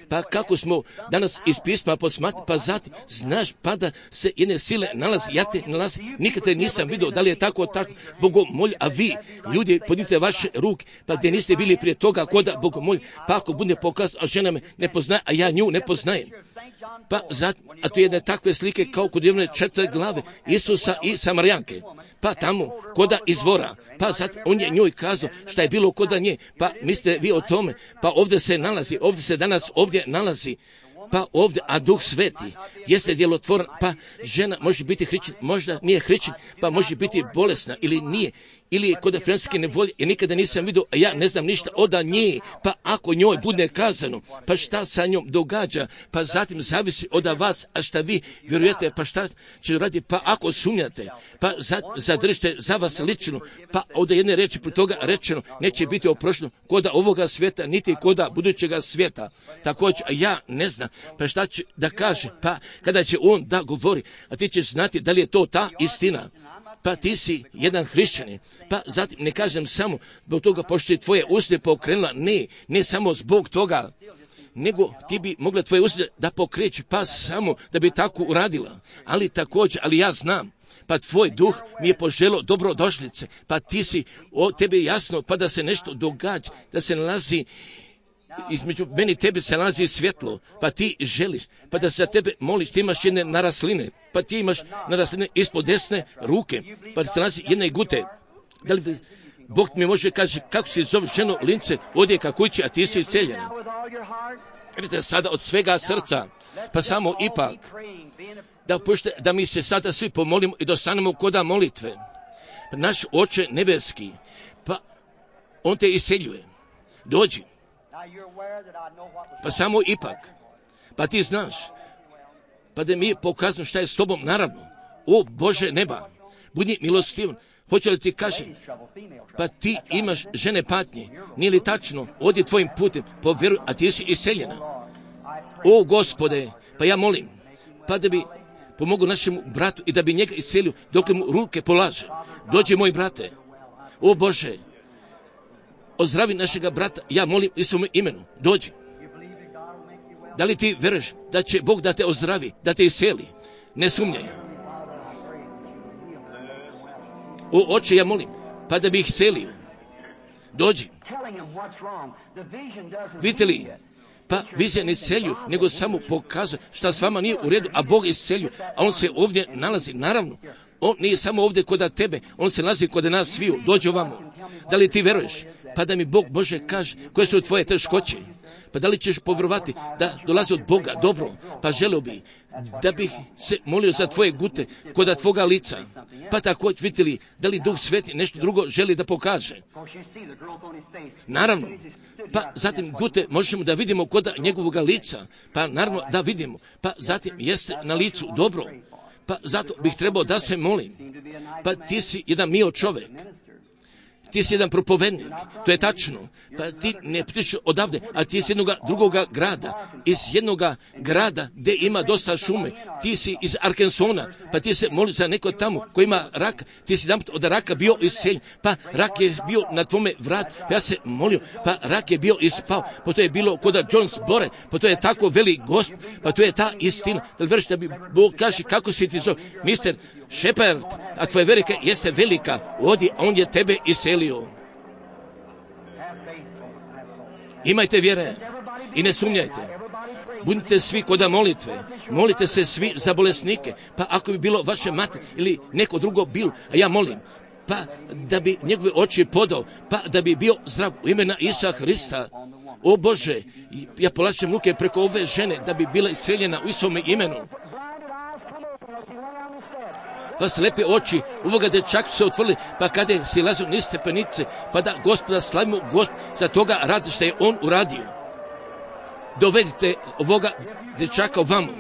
pa kako smo danas iz pisma posmatrali, pa zatim, znaš, pa da se jedne sile nalazi, ja te nalazi, nikad te nisam vidio, da li je tako, tako, bogomolj, a vi, ljudi, podnite vaše ruke, pa gdje niste bili prije toga, koda bogomolj, pa ako bude pokazao, a žena me ne poznaje, a ja nju ne poznajem. Pa zatim, a to je jedne takve slike kao kod jedne četiri glave, Isusa i Samarijanke. Pa tamo, koda izvora, pa zatim on je njoj kazao šta je bilo koda nje, pa mislite vi o tome, pa ovdje se nalazi, ovdje se danas ovdje nalazi, pa ovdje, a Duh Sveti jeste djelotvoran, pa žena može biti hrišćan, možda nije hrišćan, pa može biti bolesna ili nije, ili je kod francuske nevolje, jer nikada nisam vidio, a ja ne znam ništa od nje, pa ako njoj bude kazano, pa šta sa njom događa, pa zatim zavisi od vas, a šta vi vjerujete, pa šta će raditi, pa ako sumnjate, pa zadržite za vas lično, pa od jedne reči pri toga rečeno, neće biti oprošteno koda ovoga svijeta, niti koda budućega svijeta. Također, ja ne znam, pa šta će da kaže, pa kada će on da govori, a ti ćeš znati da li je to ta istina. Pa ti si jedan hrišćanin, pa zatim ne kažem samo zbog toga pošto je tvoje usne pokrenula, ne, ne samo zbog toga, nego ti bi mogla tvoje usne da pokreći, pa samo da bi tako uradila, ali također, ali ja znam, pa tvoj duh mi je poželio dobrodošlice, pa ti si, o tebi jasno, pa da se nešto događa, da se nalazi između meni i tebi se nalazi svjetlo, pa ti želiš, pa da se za tebe moliš, ti imaš jedne narasline, pa ti imaš narasline ispod desne ruke, pa se nalazi jedne gute. Da li Bog mi može kaže kako se zove ženo lince, odje ka kući, a ti si isceljena. Vidite sada od svega srca, pa samo ipak, da, pošte, da mi se sada svi pomolimo i dostanemo koda molitve. Pa naš Oče nebeski, pa on te iseljuje. Dođi. Pa samo ipak, pa ti znaš, pa da mi je pokazano šta je s tobom, naravno, o Bože neba, budi milostivan, hoće li ti kažem, pa ti imaš žene patnje, nije li tačno, odi tvojim putem, povjeruj, a ti si iseljena, O Gospode, pa ja molim, pa da bi pomogao našemu bratu i da bi njega iscelio dok mu ruke polaže. Dođi moj brate, o Bože, ozdravi našega brata, ja molim u svome imenu, dođi. Da li ti veruješ da će Bog da te ozdravi, da te isceli? Ne sumnjaj. O Oče, ja molim, pa da bi ih celio. Dođi. Vidite li, pa vizija ne iscelju, nego samo pokazuje šta s vama nije u redu, a Bog iscelju, a On se ovdje nalazi, naravno. On nije samo ovdje kod tebe, On se nalazi kod nas sviju. Dođi ovamo. Da li ti veruješ? Pa da mi Bog Bože kaže koje su tvoje teškoće. Pa da li ćeš povjerovati da dolazi od Boga? Dobro, pa želio bi da bih se molio za tvoje gute kod tvoga lica. Pa tako vidite li da li Duh Sveti nešto drugo želi da pokaže. Naravno, pa zatim gute možemo da vidimo kod njegovog lica. Pa naravno da vidimo. Pa zatim jeste na licu dobro. Pa zato bih trebao da se molim. Pa ti si jedan mio čovjek. Ti si jedan propovednik, to je tačno. Pa ti ne putiš odavde, a ti si jednog drugoga grada, iz jednog grada gdje ima dosta šume. Ti si iz Arkansona, pa ti se moli za neko tamo koji ima rak. Ti si jedan od raka bio isceljen, pa rak je bio na tvome vratu. Pa ja se molio, pa rak je bio ispao. Pa to je bilo kod Jones Bore, pa to je tako veli Gosp, pa to je ta istina. Da li veriš da bi Bog kaže kako si ti zove? Mister Shepard, a tvoja velika jeste velika, odi, on je tebe iscelio. Imajte vjere i ne sumnjajte. Budite svi kod molitve, molite se svi za bolesnike, pa ako bi bilo vaše mati ili neko drugo bilo, a ja molim, pa da bi njegove oči podao, pa da bi bio zdrav u imena Isusa Hrista. O Bože, ja polažem ruke preko ove žene da bi bila isceljena u Isusovom imenu. Pa slepe oči ovoga dečaka su se otvorili, pa kada je silazio niz stepenice, pa da Gospoda slavimo Gospod za toga radi što je On uradio. Dovedite ovoga dečaka ovamo,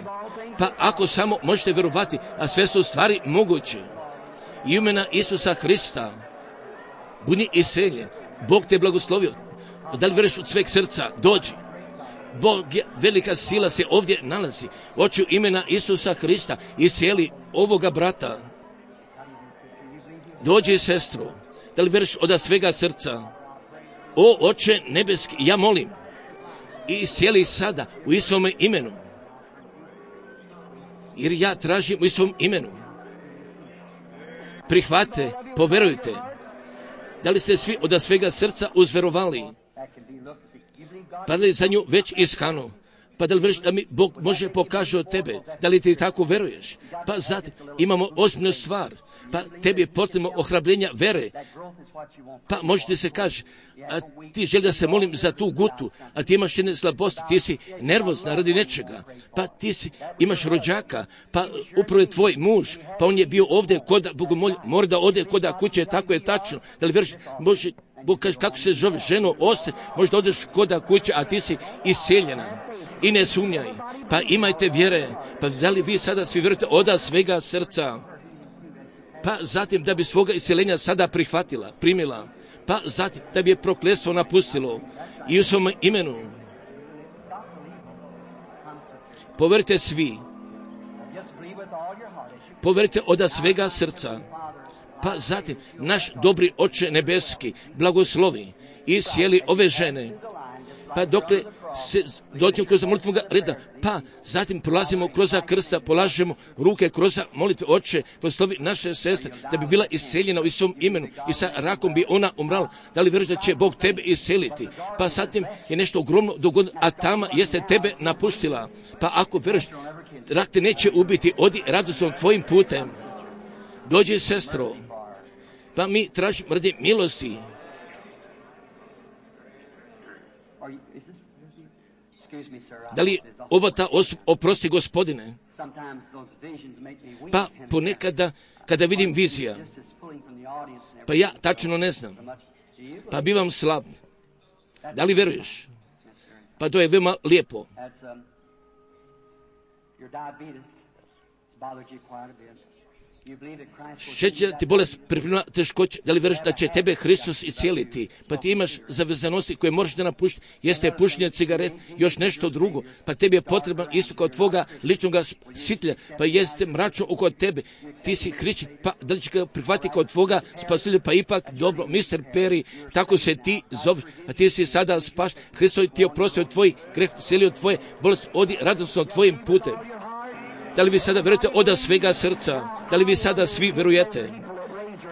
pa ako samo možete vjerovati, a sve su stvari moguće. I imena Isusa Hrista, budi isceljen, Bog te blagoslovio. Da li vjeruješ od sveg srca? Dođi. Bog je, velika sila se ovdje nalazi. Oči imena Isusa Hrista iscijeli ovoga brata. Dođi, sestro. Da li vjeruješ od svega srca? O Oče nebeski, ja molim. I iscijeli sada u Isusovom imenu. Jer ja tražim u Isusovom imenu. Prihvate, poverujte. Da li ste svi od svega srca uzverovali? Pa li za nju već iskanu? Pa da li vjeruješ da mi Bog može pokaže od tebe? Da li ti tako veruješ? Pa zatim imamo ozbiljnu stvar. Pa tebi je potrebno ohrabrenja vere. Pa možete se kaži, a ti želi da se molim za tu gutu, a ti imaš jedne slabosti, ti si nervozna radi nečega. Pa ti si, imaš rođaka, pa upravo je tvoj muž, pa on je bio ovdje kod Bogomolja, mora da ode kod kuće, tako je tačno. Da li vjeruješ, može, Bog kaže kako se zove ženo, ostaje, možda odeš kod kuće, a ti si isceljena. I ne sumnjaj, pa imajte vjere, pa da li vi sada svi vjerujete od svega srca? Pa zatim da bi svoga isceljenja sada prihvatila, primila, pa zatim da bi je prokletstvo napustilo i u svom imenu. Poverite svi, poverite od svega srca, pa zatim naš dobri Oče nebeski blagoslovi i sjeli ove žene, pa dokle se dođemo kroz molitvenog reda, pa zatim prolazimo kroz krsta, polažemo ruke kroz molitve. Oče, proslovi naše sestre, da bi bila isceljena u svom imenu i sa rakom bi ona umrala. Da li vjeruješ da će Bog tebe isceliti? Pa zatim je nešto ogromno dogodilo, a tama jeste tebe napuštila. Pa ako vjeruješ, rak te neće ubiti, odi radosnom tvojim putem. Dođi, sestro, pa mi tražimo radi milosti. Da li ova ta osoba, oprosti Gospodine, pa ponekada kada vidim vizija, pa ja tačno ne znam, pa bivam slab. Da li veruješ? Pa to je veoma lijepo. Šećer ti bolest pripremila teškoće, da li vjeruješ da će tebe Hristos iscijeliti? Pa ti imaš zavezanosti koje moraš da napušti, jeste pušenje cigaret, još nešto drugo, pa tebi je potreban isto kao tvoga ličnog sitlja, pa jeste mračno oko tebe, ti si hrišćan, pa da li će ga prihvatiti kao tvoga spasitelja? Pa ipak dobro, mister Perry, tako se ti zoveš, a ti si sada spaš, Hristos ti je oprostio tvoj greh, selio tvoje bolesti, odi radosno tvojim putem. Da li vi sada vjerujete od svega srca? Da li vi sada svi vjerujete?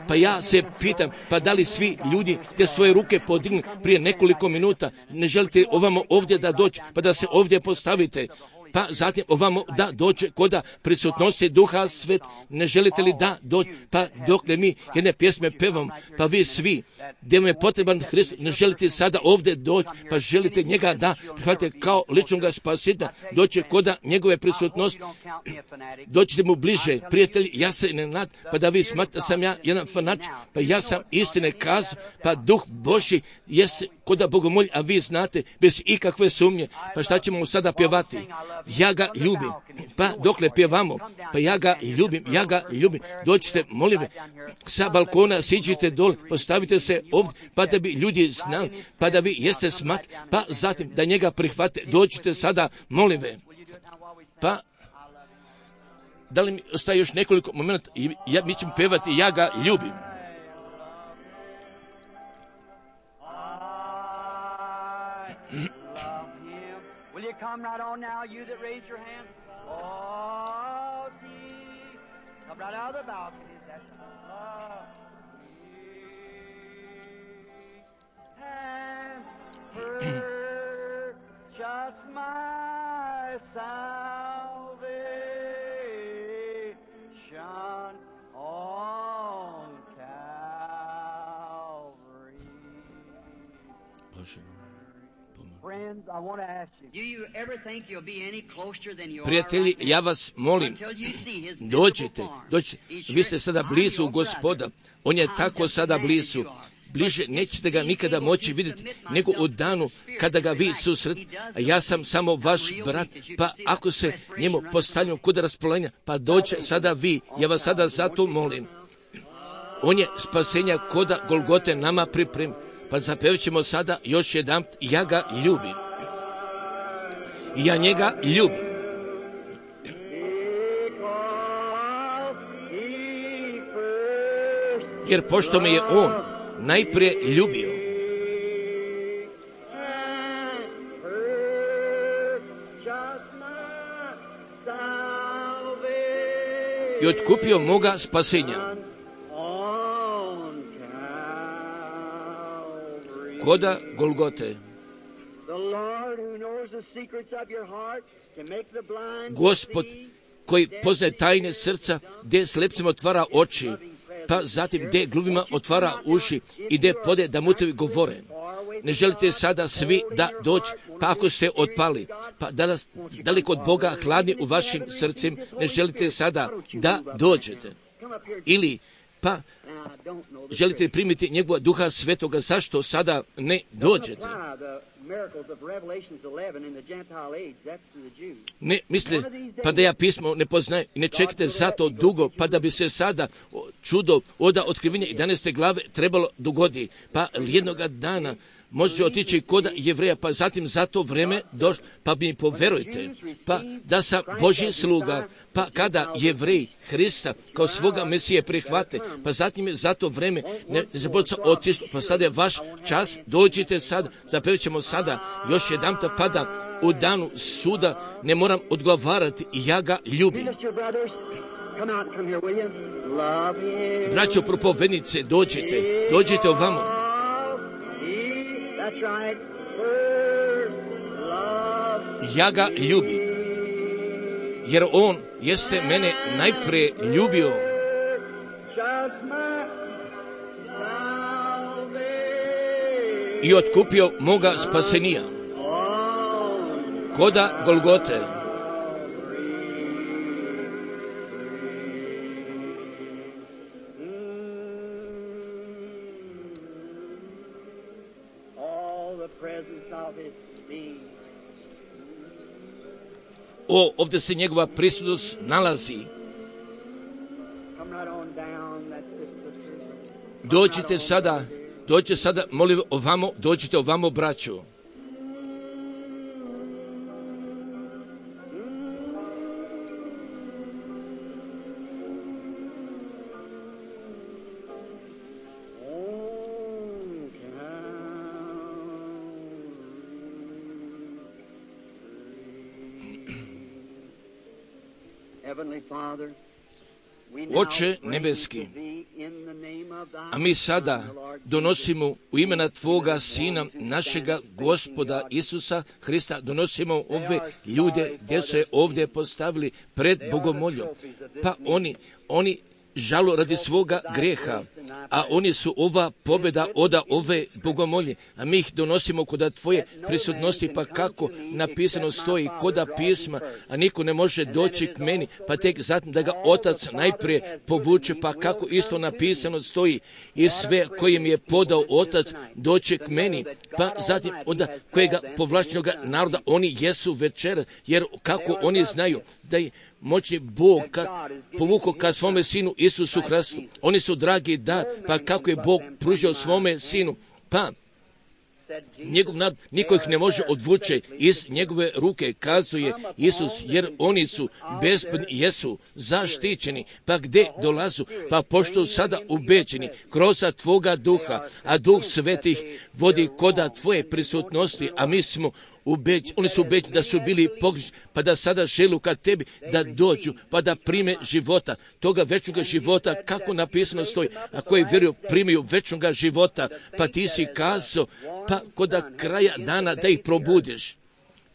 Pa ja se pitam, pa da li svi ljudi te svoje ruke podignu prije nekoliko minuta, ne želite ovamo ovdje da doći, pa da se ovdje postavite? Pa zatim ovamo da dođe koda prisutnosti Duha Svet, ne želite li da doći? Pa dokle mi jedne pjesme pevam, pa vi svi, gdje vam je potreban Hristos, ne želite sada ovdje doći, pa želite njega da prihvatite kao ličnog spasitelja, doći koda njegove prisutnosti, doćete mu bliže, prijatelji, ja se ne nad, pa da vi smatrate sam ja jedan fanač, pa ja sam istine kazao, pa Duh Božji jeste koda Bogomolj, a vi znate, bez ikakve sumnje, pa šta ćemo sada pjevati? Ja ga ljubim, pa dokle pjevamo, pa ja ga ljubim, ja ga ljubim, dođite, molim me, sa balkona siđite dol, postavite se ovdje, pa da bi ljudi znali, pa da vi jeste smat, pa zatim da njega prihvate, dođite sada, molim me, pa da li mi ostaje još nekoliko momenta, ja, mi ćemo pjevati, ja ga ljubim. Will you come right on now, you that raise your hand? Oh, see, come right out of the balconies. That's love. And purchase my salvation on Calvary. Bože. Friends, I want to ask you, do you ever think you'll be any closer than you are Prijatelji, right now? ja vas molim, Until you see his dođite, visible form. dođite, He's vi ste sure sada I'm blizu your Gospoda, brother. on je I'm tako just sada a man blizu, that you are. bliže nećete ga nikada moći vidjeti, nego u danu kada ga vi susret, a ja sam samo vaš brat, pa ako se njemu postavljamo kod raspolenja, pa dođe sada vi, ja vas sada zato molim. On je spasenja koda Golgote nama pripremi, pa zapevit ćemo sada još jedan, ja ga ljubim. Ja njega ljubim. Jer pošto me je on najprije ljubio, i otkupio moga spasenja koda Golgote. Gospod koji poznaje tajne srca, gdje slepcima otvara oči, pa zatim gdje gluvima otvara uši i gdje pode da mutovi govore. Ne želite sada svi da doći, pa ako ste otpali, pa danas daleko od Boga hladni u vašim srcima, ne želite sada da dođete. Ili pa želite primiti njegova Duha Svetoga, zašto sada ne dođete? Ne misle, pa da ja pismo ne poznajem i ne čekate zato dugo, pa da bi se sada čudo oda otkrivenja jedanaeste glave trebalo dogodi, pa jednoga dana može otići kod Jevreja, pa zatim za to vreme došlo, pa mi poverujte, pa da sam Božji sluga, pa kada Jevreji Hrista kao svoga Mesije prihvate, pa zatim je za to vreme ne zaboca otišlo, pa sada je vaš čas, dođite sad, zapevit ćemo sada još jedan pada u danu suda, ne moram odgovarati, ja ga ljubim. Braćo propovednice, dođite, dođite ovamo. Ja ga ljubim, jer on jeste mene najprije ljubio. I otkupio moga spasenija koda Golgote. O, ovdje se njegova prisutnost nalazi. Dođite sada, dođite sada, molim ovamo, dođite ovamo, braćo. Oče nebeski, a mi sada donosimo u imena Tvoga Sina, našega Gospoda Isusa Hrista, donosimo ove ljude gdje se ovdje postavili pred Bogomoljom. Pa oni, oni žalu radi svoga greha, a oni su ova pobjeda oda ove Bogomolje, a mi ih donosimo koda Tvoje prisutnosti, pa kako napisano stoji, koda pisma, a niko ne može doći k meni, pa tek zatim da ga Otac najprije povuče, pa kako isto napisano stoji, i sve kojim je podao Otac doće k meni, pa zatim od kojega povlačenoga naroda oni jesu večera, jer kako oni znaju da je moćni Bog ka, povukao ka svome Sinu Isusu Hristu. Oni su dragi dar, pa kako je Bog pružio svome Sinu, pa njegov narod, niko ih ne može odvući iz njegove ruke, kazuje Isus, jer oni su bezbedni, jesu zaštićeni, pa gdje dolazu, pa pošto sada ubeđeni kroz Tvoga duha, a Duh Svetih vodi koda Tvoje prisutnosti, a mi smo ubeđeni, oni su ubeđeni da su bili pogrešni, pa da sada želu ka Tebi da dođu, pa da prime života, toga večnoga života, kako napisano stoji, a koji vjeruju primaju večnoga života, pa Ti si kazao, pa koda kraja dana da ih probudiš.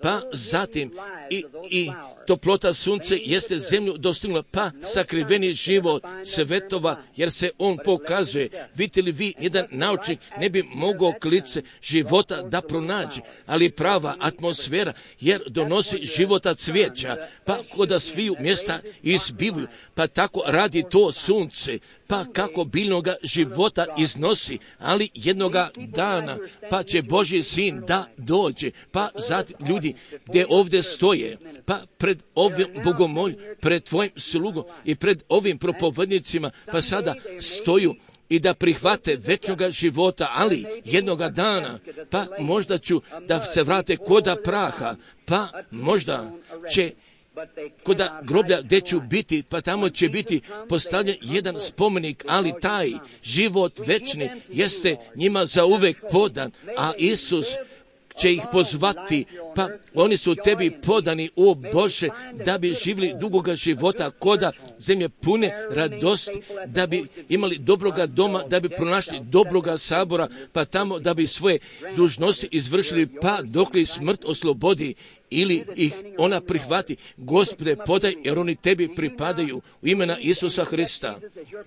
Pa zatim i, i toplota sunce jeste zemlju dostignula, pa sakriveni život svetova, jer se on pokazuje. Vidite li vi, jedan naučnik ne bi mogao klice života da pronađe, ali prava atmosfera, jer donosi života cvijeća, pa koda sviju mjesta izbivuju, pa tako radi to sunce, pa kako biljnoga života iznosi, ali jednoga dana, pa će Božji Sin da dođe, pa zatim ljudi gdje ovdje stoje, pa pred ovim Bogomolj, pred Tvojim slugom i pred ovim propovednicima, pa sada stoju i da prihvate večnoga života, ali jednoga dana, pa možda ću da se vrate koda praha, pa možda će koda groblja gdje ću biti, pa tamo će biti postavljen jedan spomenik, ali taj život večni jeste njima zauvek podan, a Isus će ih pozvati, pa oni su Tebi podani, o Bože, da bi živjeli dugoga života, koda zemlje pune radosti, da bi imali dobroga doma, da bi pronašli dobroga sabora, pa tamo da bi svoje dužnosti izvršili, pa dok li smrt oslobodi ili ih ona prihvati. Gospode, podaj, jer oni Tebi pripadaju u imena Isusa Hrista.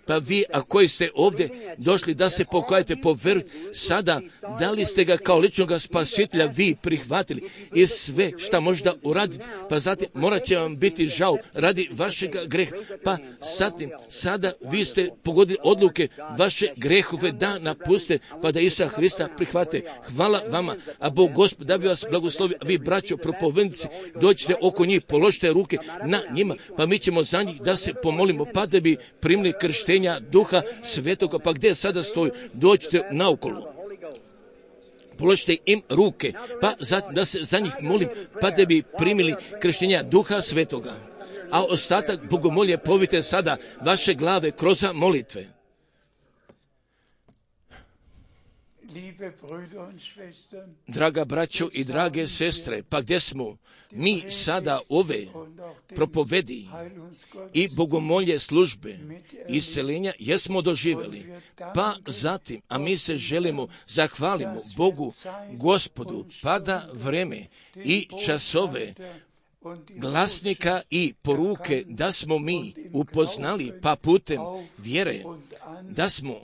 Pa vi, a koji ste ovdje došli da se pokajete po veru, sada, da li ste ga kao ličnoga spasitelja vi prihvatili i sve šta možda uraditi, pa zatim morat će vam biti žao radi vašega greha, pa zatim sada vi ste pogodili odluke vaše grehove da napuste, pa da Isusa Hrista prihvate. Hvala vama, a Bog Gospod da bi vas blagoslovio, a vi braćo propovednici, dođite oko njih, položite ruke na njima, pa mi ćemo za njih da se pomolimo, pa da bi primili krštenja Duha Svetoga, pa gdje sada stoju, dođite naokolo. Položite im ruke, pa zatim da se za njih molim, pa da bi primili krštenja Duha Svetoga. A ostatak bogomolje povite sada vaše glave kroz molitve. Draga braćo i drage sestre, pa gdje smo mi sada ove propovedi i bogomolje službe isceljenja jesmo doživjeli, pa zatim, a mi se želimo, zahvalimo Bogu, Gospodu, pa da vreme i časove glasnika i poruke da smo mi upoznali, pa putem vjere da smo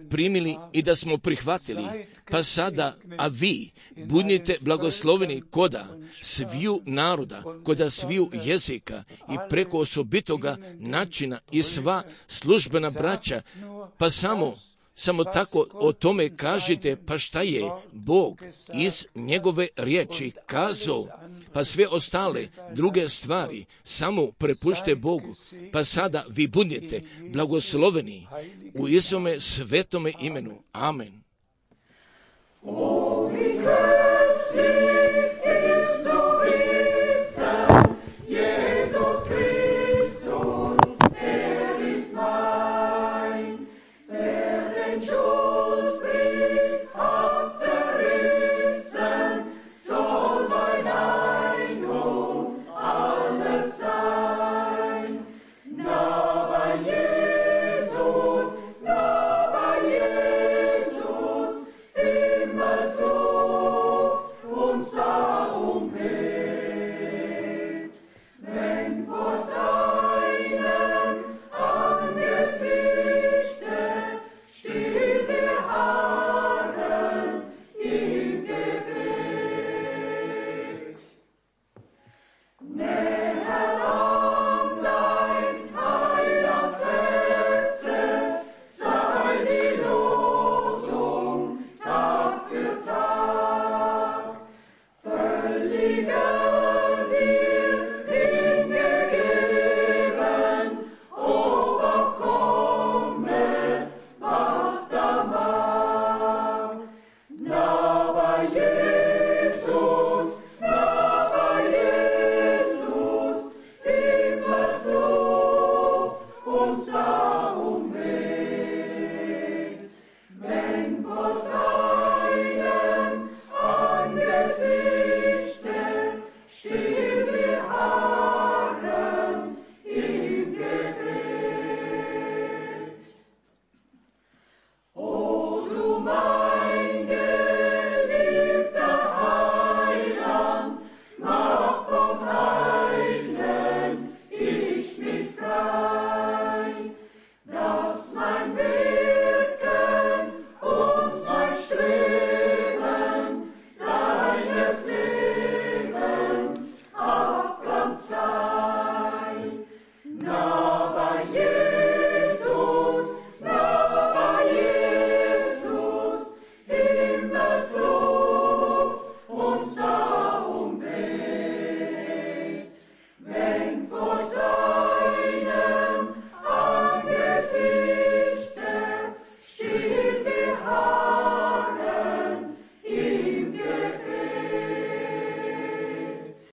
primili i da smo prihvatili, pa sada, a vi budite blagosloveni koda sviju naroda, koda sviju jezika i preko osobitoga načina i sva službena braća, pa samo Samo tako o tome kažite, pa šta je Bog iz njegove riječi kazao, pa sve ostale druge stvari samo prepušte Bogu, pa sada vi budete blagosloveni u Isome svetome imenu. Amen. Jesus, immer so